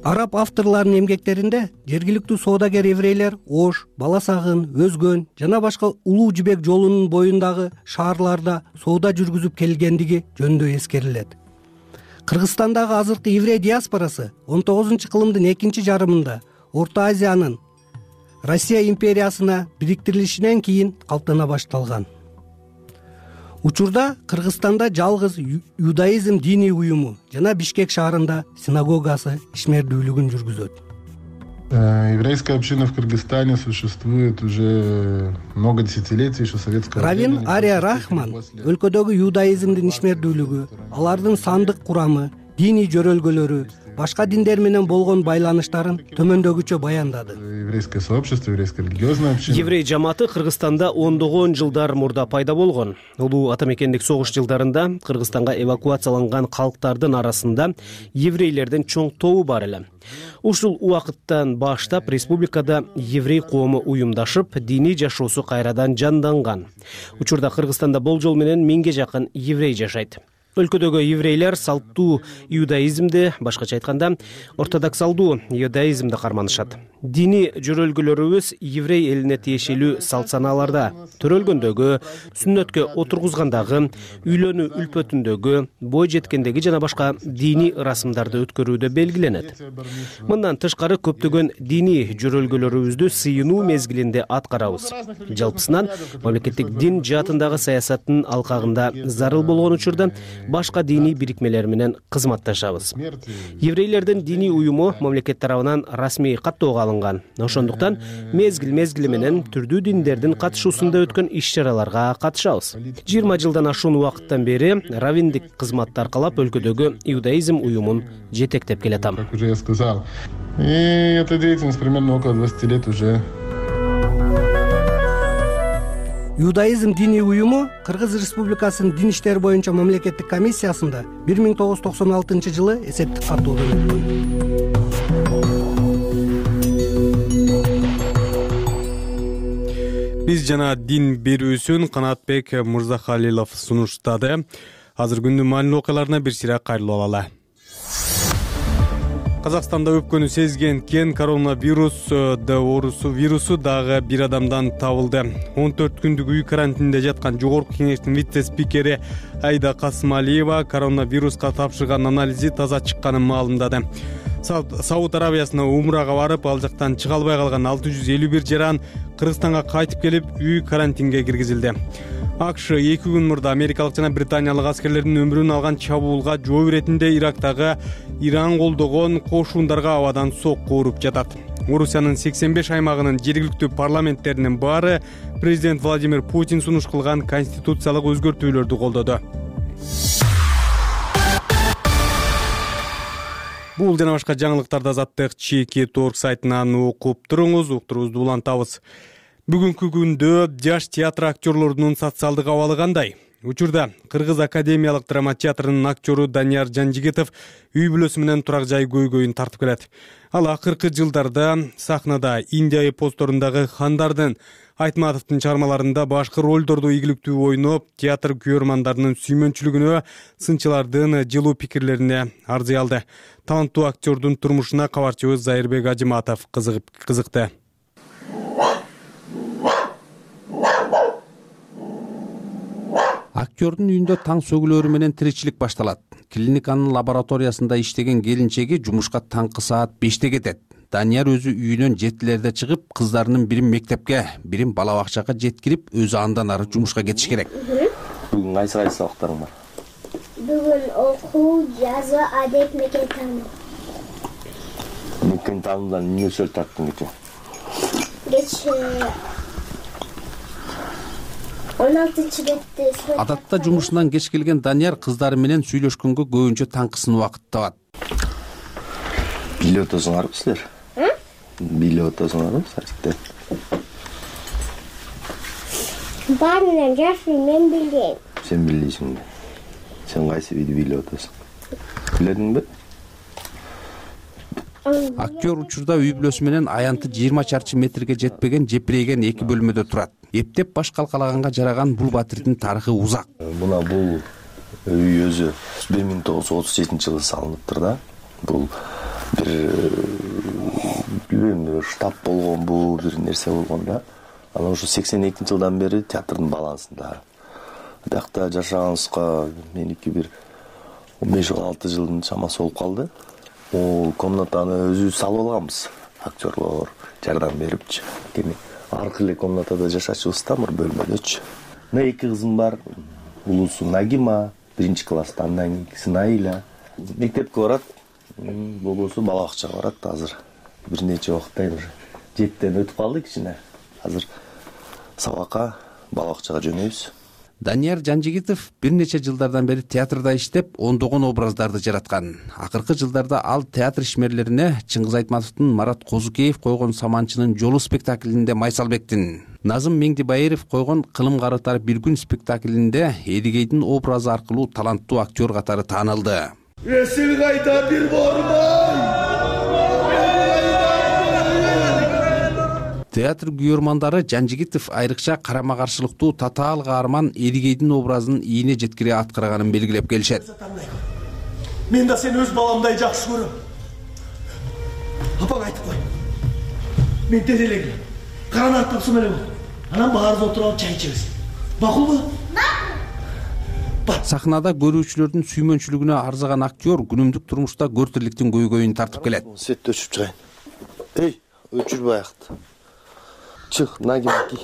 араб авторлорунун эмгектеринде жергиликтүү соодагер еврейлер Ош, Бала Сагын, Өзгөн жана башка Улуу Жибек жолунун боюндагы шаарларда соода жүргүзүп келгендиги жөнүндө эскерилет. Кыргызстандагы азыркы еврей диаспорасы он тогузунчу кылымдын экинчи жарымында Орто Азиянын Россия империясына бириктирилишинен кийин калыптана башталган. Учурда Кыргызстанда жалгыз юдаизм диний уюму жана Бишкек шаарында синагогасы ишмердүүлүгүн жүргүзөт. Еврейская община в Кыргызстане существует уже много десятилетий, еще советского времени. Равин Ария Рахман өлкөдөгү юдаизмдин ишмердүүлүгү, алардын сандык курамы, диний жөрөлгөлөрү, башка диндер менен болгон байланыштарын төмөндөгүчө баяндады. Еврейское сообщество, еврейская религиозная община. Еврей жамааты Кыргызстанда ондогон жылдар мурда пайда болгон. Улуу ата мекендик согуш жылдарында Кыргызстанга эвакуацияланган калктардын арасында еврейлердин чоң тобу бар эле. Ушул убакыттан баштап республикада еврей коому уюмдашып, диний жашоосу кайрадан жанданган. Учурда Кыргызстанда болжол менен миңге жакын еврей жашайт. Өлкөдөгү еврейлер салттуу иудаизмди, башкача айтканда, ортодоксалдуу иудаизмди карманышат. Диний жөрөлгөлөрүбүз еврей элине тиешелүү салт санааларда, төрөлгөндөгү, сүннөткө отургузгандагы, үйлөнүү үлпөтүндөгү, бой жеткендеги жана башка диний ырасымдарды өткөрүүдө белгиленет. Мындан тышкары көптөгөн диний жөрөлгөлөрүбүздү сыйынуу мезгилинде аткарабыз. Жалпысынан мамлекеттик дин жаатындагы саясаттын алкагында зарыл болгон учурда башка диний бирикмелер менен кызматташабыз. Еврейлердин диний уюму мамлекет тарабынан расмий каттоого алынган. Ошондуктан мезгил мезгили менен түрдүү диндердин катышуусунда өткөн иш-чараларга катышабыз. жыйырма жылдан ашуун убакыттан бери равиндик кызматты аркалап өлкөдөгү иудаизм уюмун жетектеп келатам. Как уже я сказал. И эта деятельность примерно около двадцати лет уже. Иудаизм диний уюму Кыргыз Республикасынын дин иштери боюнча мамлекеттик комиссиясында бир миң тогуз жүз токсон алтынчы жылы эсептик каттоодон өткөн. Биз жана дин берүүсүн Канатбек Мырзахалилов сунуштады. Азыр күндүн маанилүү окуяларына бир сыйра кайрылып алалы. Казакстанда өпкөнү сезген кен коронавирус оорусу вирусу дагы бир адамдан табылды. он төрт күндүк үй карантинде жаткан жогорку кеңештин вице-спикери Айда Касымалиева коронавируска тапшырган анализи таза чыкканын маалымдады. Сауд Арабиясына умрага барып, ал жактан чыга албай калган алты жүз элүү бир жаран Кыргызстанга кайтып келип, үй карантинге киргизилди. АКШ эки күн мурда америкалык жана британиялык аскерлердин өмүрүн алган чабуулга жооп иретинде Ирактагы Иран колдогон кошундарга абадан сокку уруп жатат. Орусиянын сексен беш аймагынын жергиликтүү парламенттеринин баары президент Владимир Путин сунуш кылган конституциялык өзгөртүүлөрдү колдоду. Бул жана башка жаңылыктарды Азаттык чеки торг сайтынан окуп туруңуз, уктуруубузду улантабыз. Бүгүнкү күндө жаш театр актерлорунун социалдык абалы кандай? Учурда Кыргыз академиялык драма театрынын актеру Данияр Жанжигитов үй бүлөсү менен турак жай көйгөйүн тартып келет. Ал акыркы жылдарда сахнада Индия эпосторундагы Хандардын, Айтматовдун чыгармаларында башкы ролдорду ийгиликтүү ойноп, театр күйөрмандарынын сүймөнчүлүгүнө, сынчылардын жылуу пикирлерине арзый алды. Таланттуу актердун турмушуна кабарчыбыз Зайырбек Ажыматов кызыкты. Актердун үйүндө таң сөгүлөрү менен тиричилик башталат. Клиниканын лабораториясында иштеген келинчеги жумушка таңкы саат беште кетет. Данияр өзү үйүнөн жетилерде чыгып, кыздарынын бирин мектепке, бирин бала бакчага жеткирип, өзү андан ары жумушка кетиш керек. Бүгүн кайсы кайсы сабактарың бар? Бүгүн окуу, жазуу, адеп, мекен таануу. Мекен таануудан эмне сөз тарттың кече? Кече он алтынчы бетте. Адатта жумушунан кеч келген Данияр кыздары менен сүйлөшкөнгө көбүнчө таңкысын убакыт табат. Билип отосуңарбы силер? Билип отосуңарбы сайтта? Баарынан жакшы мен билем. Сен билесиң. Сен кайсы биди билип отосуң? Биледиңби? Актер учурда үй бүлөсү менен аянты жыйырма чарчы метрге жетпеген жепирейген эки бөлмөдө турат. Эптеп баш калкалаганга жараган бул батирдин тарыхы узак. Мына бул үй өзү бир миң тогуз жүз отуз жетинчи жылы салыныптыр да. Бул бир билбейм, бир штаб болгонбу, бир нерсе болгон да. Анан ушу сексен экинчи жылдан бери театрдын балансында. Биякта жашаганыбызга меники бир он беш алты жылдын чамасы болуп калды. Бул комнатаны өзүбүз салып алганбыз. Актерлор жардам берипчи. Кени аркы эле комнатада жашачубыз да, бир бөлмөдөчү. Мына эки кызым бар. Улусу Нагима, биринчи класста, андан кийинкиси Наиля. Мектепке барат, болбосо бала бакчага барат азыр. Бир нече убакыттан уже жеттен өтүп калды кичине. Азыр сабакка, бала бакчага жөнөйбүз. Данияр Жанжигитов бир нече жылдардан бери театрда иштеп, ондогон образдарды жараткан. Акыркы жылдарда ал театр ишмерлерине Чыңгыз Айтматовдун Марат Козукеев койгон Саманчынын жолу спектаклинде Майсалбектин, Назым Меңдибайыров койгон Кылым карытар бир күн спектаклинде Эдигейдин образы аркылуу таланттуу актер катары таанылды. Эсил кайда бир борбой. Театр күйөрмандары Жанжигитов айрыкча карама каршылыктуу татаал каарман Эдигейдин образын ийине жеткире аткарганын белгилеп келишет. Мен да сени өз баламдай жакшы көрөм. Апаң айтып кой. Мен делелегем. Каранат тапсым эле бол. Анан баарыбыз отуруп чай ичебиз. Макулбу? Сахнада көрүүчүлөрдүн сүймөнчүлүгүнө арзаган актер күнүмдүк турмушта көртүрлүктүн көйгөйүн тартып келет. Свет өчүп чыгайын. Эй, өчүрбөй аякты. Чык, Нагима ки.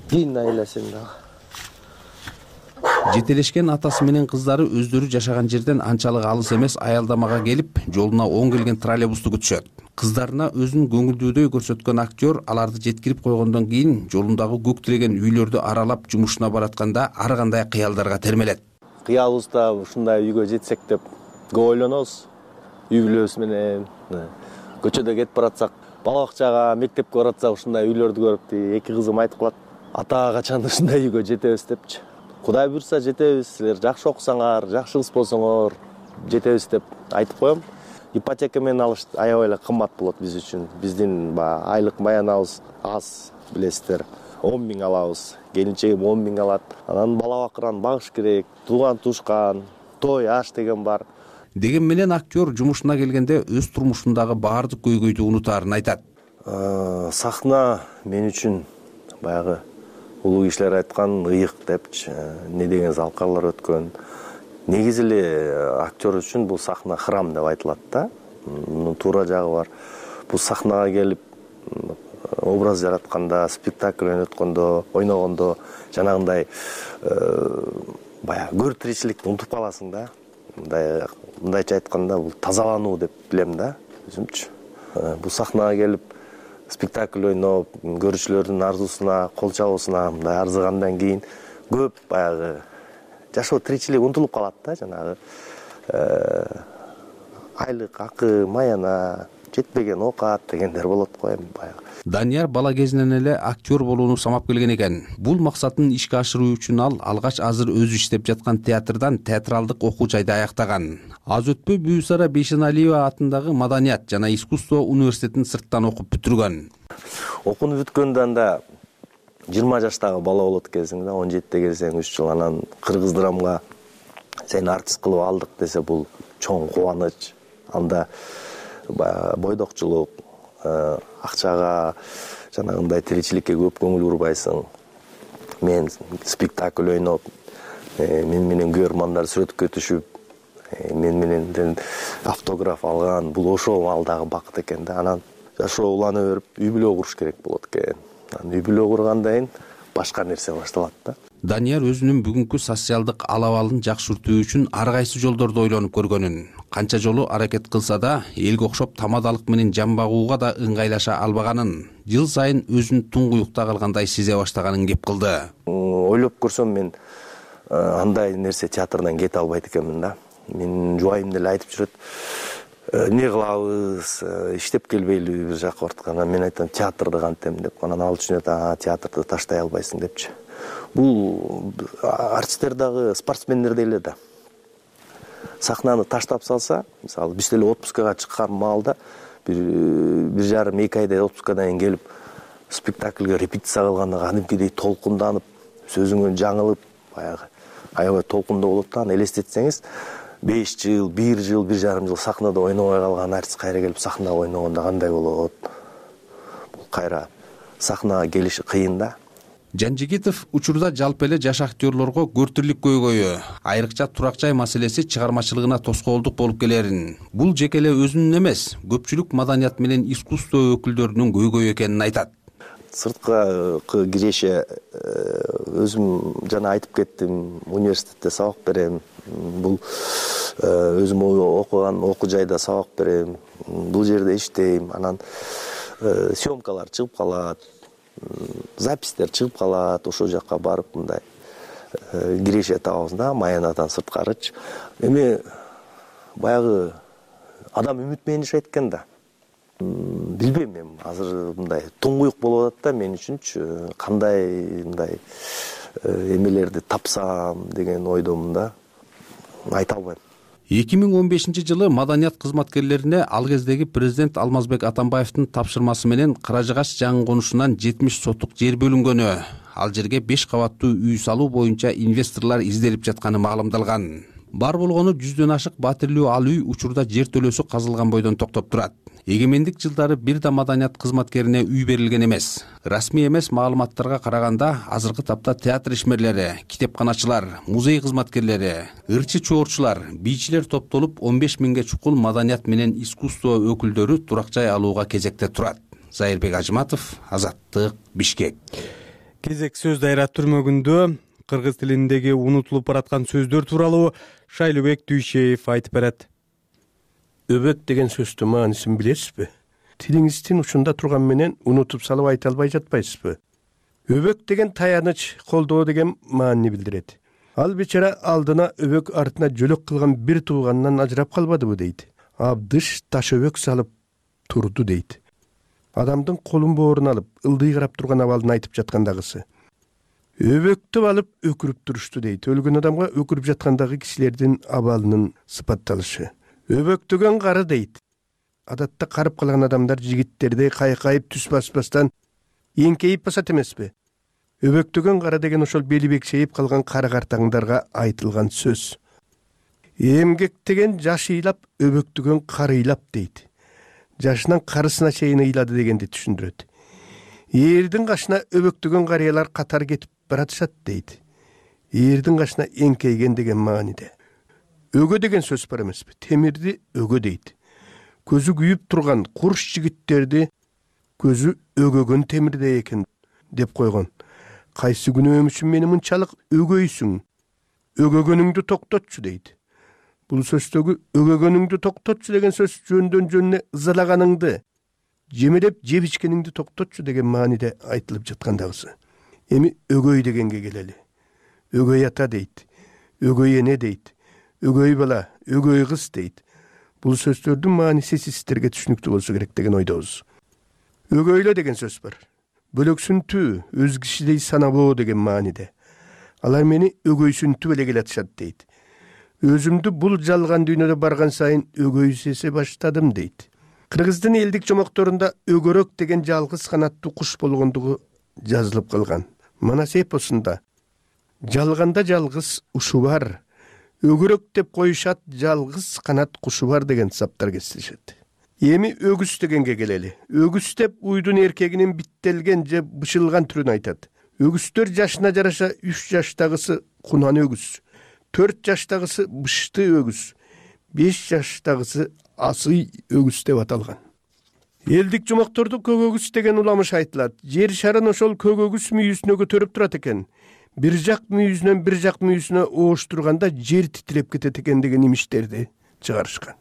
Кийин Наиля сен дагы. Жетелешкен атасы менен кыздары өздөрү жашаган жерден анчалык алыс эмес аялдамага келип, жолуна оң келген троллейбусту күтүшөт. Кыздарына өзүн көңүлдүүдөй көрсөткөн актер аларды жеткирип койгондон кийин жолундагы көк тиреген үйлөрдү аралап жумушуна баратканда ар кандай кыялдарга термелет. Кыялыбызда ушундай үйгө жетсек деп көп ойлонобуз. Үй бүлөбүз менен көчөдө кетип баратсак, бала бакчага, мектепке баратсак ушундай үйлөрдү көрүп, эки кызым айтып калат. Ата качан ушундай үйгө жетебиз депчи. Кудай буйрса жетебиз, силер жакшы окусаңар, жакшы кыз болсоңор жетебиз деп айтып коем. Ипотека менен алыш аябай эле кымбат болот биз үчүн. Биздин айлык маянабыз аз, билесиздер. он миң алабыз, келинчегим он миң алат. Анан бала бакыран багыш керек, тууган тушкан, той аш деген бар. Деген менен актер жумушуна келгенде өз турмушундагы баардык көйгөйдү унутаарын айтат. Сахна мен үчүн баягы улуу кишилер айткан ыйык депчи, не деген залкарлар өткөн. Негизи эле актер үчүн бул сахна храм деп айтылат да. Мунун туура жагы бар. Бул сахнага келип образ жаратканда, спектакль ойноткондо, ойногондо жанагындай баягы көр тиричиликти унутуп каласың да. Мындай мындайча айтканда бул тазалануу деп билем да, өзүмчү. Бул сахнага келип спектакль ойноп, көрүүчүлөрдүн арзусуна, кол чабуусуна мындай арзыгандан кийин көп баягы жашоо тиричилик унутулуп калат да, жанагы айлык, акы, маяна, жетпеген оокат дегендер болот го эми баягы. Данияр бала кезинен эле актер болууну самап келген экен. Бул максатын ишке ашыруу үчүн ал алгач азыр өзү иштеп жаткан театрдан театралдык окуу жайды аяктаган. Аз өтпөй Бүйүсара Бейшеналиева атындагы Маданият жана искусство университетин сырттан окуп бүтүргөн. Окууну бүткөндөн да жыйырма жаштагы бала болот экенсиң да, он жетиде келсең үч жыл анан кыргыз драмга сени артист кылып алдык десе бул чоң кубаныч. Анда бойдокчулук, акчага, жанагындай тиричиликке көп көңүл бурбайсың. Мен спектакль ойноп, мен менен күйөрмандар сүрөткө түшүп, мен менен автограф алган, бул ошол алдагы бакыт экен да. Анан жашоо улана берип, үй бүлө куруш керек болот экен. Үй бүлө кургандан кийин башка нерсе башталат да. Данияр өзүнүн бүгүнкү социалдык алабалын жакшыртуу үчүн ар кайсы жолдорду ойлонуп көргөнүн, канча жолу аракет кылса да, элге окшоп тамадалык менен жан багууга да ыңгайлаша албаганын, жыл сайын өзүн туңгуюкта калгандай сезе баштаганын кеп кылды. Ойлоп көрсөм мен андай нерсе театрдан кете албайт экенмин да. Мен жубайым деле айтып жүрөт. Не кылабыз, иштеп келбейлиби бир жакка бартканда, мен айтам театрды кантем деп. Анан ал түшүнөт, а театрды таштай албайсың депчи. Бул артисттер дагы спортсмендер деле да. Сахнаны таштап салса, мисалы биз деле отпускага чыккан маалда бир бир жарым эки айда отпускадан кийин келип спектакльге репетиция кылганда кадимкидей толкунданып, сөзүңөн жаңылып, баягы аябай толкундуу болот да. Аны элестетсеңиз, беш жыл, бир жыл, бир жарым жыл сахнада ойнобой калган артист кайра келип сахнада ойногондо кандай болот? Бул кайра сахнага келиши кыйын да. Жанжигитов учурда жалпы эле жаш актерлорго көртүрлүк көйгөйү, айрыкча турак жай маселеси чыгармачылыгына тоскоолдук болуп келерин, бул жеке эле өзүнүн эмес, көпчүлүк маданият менен искусство өкүлдөрүнүн көйгөйү экенин айтат. Сыртка киреше өзүм жана айтып кеттим, университетте сабак берем. Бул өзүм окуган окуу жайда сабак берем. Бул жерде иштейм. Анан съемкалар чыгып калат, запистер чыгып калат, ошол жакка барып мындай киреше табабыз да, Маянадан сырткарычы. Эми баягы адам үмүт менен жашайт экен да. Билбейм мен, азыр мындай туңгуюк болуп атат да мен үчүнчү, кандай мындай эмелерди тапсам деген ойдомун да, айта албайм. эки миң он бешинчи жылы маданият кызматкерлерине ал кездеги президент Алмазбек Атамбаевдин тапшырмасы менен Каражы Каш жаңы конушунан жетимиш сотук жер бөлүнгөнү, ал жерге беш кабаттуу үй салуу боюнча инвесторлор изделип жатканы маалымдалган. Бар болгону жүздөн ашык батирлүү ал үй учурда жер төлөөсү казылган бойдон токтоп турат. Эгемендик жылдары бир да маданият кызматкерине үй берилген эмес. Расмий эмес маалыматтарга караганда, азыркы тапта театр ишмерлери, китепканачылар, музей кызматкерлери, ырчы чоорчулар, бийчилер топтолуп он беш миңге чукул маданият менен искусство өкүлдөрү турак жай алууга кезекте турат. Зайырбек Ажыматов, Азаттык, Бишкек. Кезек сөз дайра түрмөгүндө кыргыз тилиндеги унутулуп бараткан сөздөр тууралуу Шайлыбек Дүйшеев айтып берет. Өбөк деген сөздүн маанисин билесизби? Тилиңиздин учунда турган менен унутуп салып айта албай жатпайсызбы? Өбөк деген таяныч, колдоо деген маанини билдирет. Ал бечара алдына өбөк артына жөлөк кылган бир тууганынан ажырап калбадыбы дейт. Абдыш таш өбөк салып турду дейт. Адамдын колун боорун алып, ылдый карап турган абалын айтып жаткандагысы. Өбөктү алып өкүрүп турушту дейт. Өлгөн адамга өкүрүп жаткандагы кишилердин абалынын сыпатталышы. Өбөктөгөн кары дейт. Адатта карып калган адамдар жигиттерди кайкайып түс баспастан эңкейип басат эмеспи? Өбөктөгөн кары деген ошол бели бекшейип калган кары картаңдарга айтылган сөз. Эмгектеген жаш ыйлап, өбөктөгөн кары ыйлап дейт. Жашынан карысына чейин ыйлады дегенди түшүндүрөт. Эрдин кашына өбөктөгөн карыялар катар кетип баратышат дейт. Эрдин кашына эңкейген деген мааниде. Өгө деген сөз бар эмеспи? Темирди өгө дейт. Көзү күйүп турган курш жигиттерди көзү өгөгөн темирдей экен деп койгон. Кайсы күнөөм үчүн мени мынчалык өгөйсүң? Өгөгөнүңдү токтотчу дейт. Бул сөздөгү өгөгөнүңдү токтотчу деген сөз жөндөн жөнүнө ызалаганыңды, жемелеп жеп ичкениңди токтотчу деген мааниде айтылып жаткандагысы. Эми өгөй дегенге келели. Өгөй ата дейт. Өгөй эне дейт. Өгөй бала, өгөй кыз дейт. Бул сөздөрдүн мааниси сиздерге түшүнүктүү болсо керек деген ойдобуз. Өгөйлө деген сөз бар. Бөлөксүнтүү, өз кишидей санабоо деген мааниде. Алар мени өгөйсүнтүп эле келатышат дейт. Өзүмдү бул жалган дүйнөдө барган сайын өгөйсөсө баштадым дейт. Кыргыздын элдик жомокторунда өгөрөк деген жалгыз канаттуу куш болгондугу жазылып калган. Манас эпосунда жалганда жалгыз ушу бар, өгөрөк деп коюшат, жалгыз канат кушу бар деген саптар кесилишет. Эми өгүз дегенге келели. Өгүз деп уйдун эркегинин биттелген же бышылган түрүн айтат. Өгүздөр жашына жараша үч жаштагысы кунан өгүз, төрт жаштагысы бышты өгүз, беш жаштагысы асый өгүз деп аталган. Элдик жомоктордо көк өгүз деген уламыш айтылат. Жер шарын ошол көк өгүз мүйүсүнө көтөрүп турат экен. Бир жак мүйүзүнөн бир жак мүйүсүнө ооштурганда жер титиреп кетет экен деген имиштерди чыгарышкан.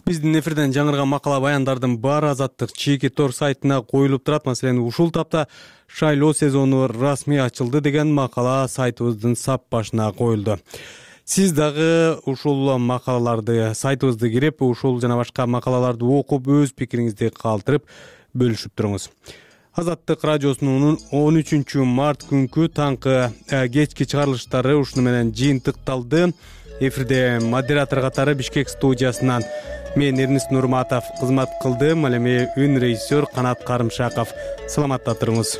Биздин эфирден жаңырган макала баяндардын баары Азаттык чеки тор сайтына коюлуп турат. Маселен, ушул тапта шайлоо сезону расмий ачылды деген макала сайтыбыздын сап башына коюлду. Сиз дагы ушул макалаларды сайтыбызды кирип, ушул жана башка макалаларды окуп, өз пикириңизди калтырып бөлүшүп туруңуз. Азаттык радиосунун он үчүнчү март күнкү таңкы кечки чыгарылыштары ушуну менен жыйынтыкталды. Эфирде модератор катары Бишкек студиясынан мен Эрнис Нурматов кызмат кылдым. Ал эми үн режиссер Канат Карымшаков. Саламатта туруңуз.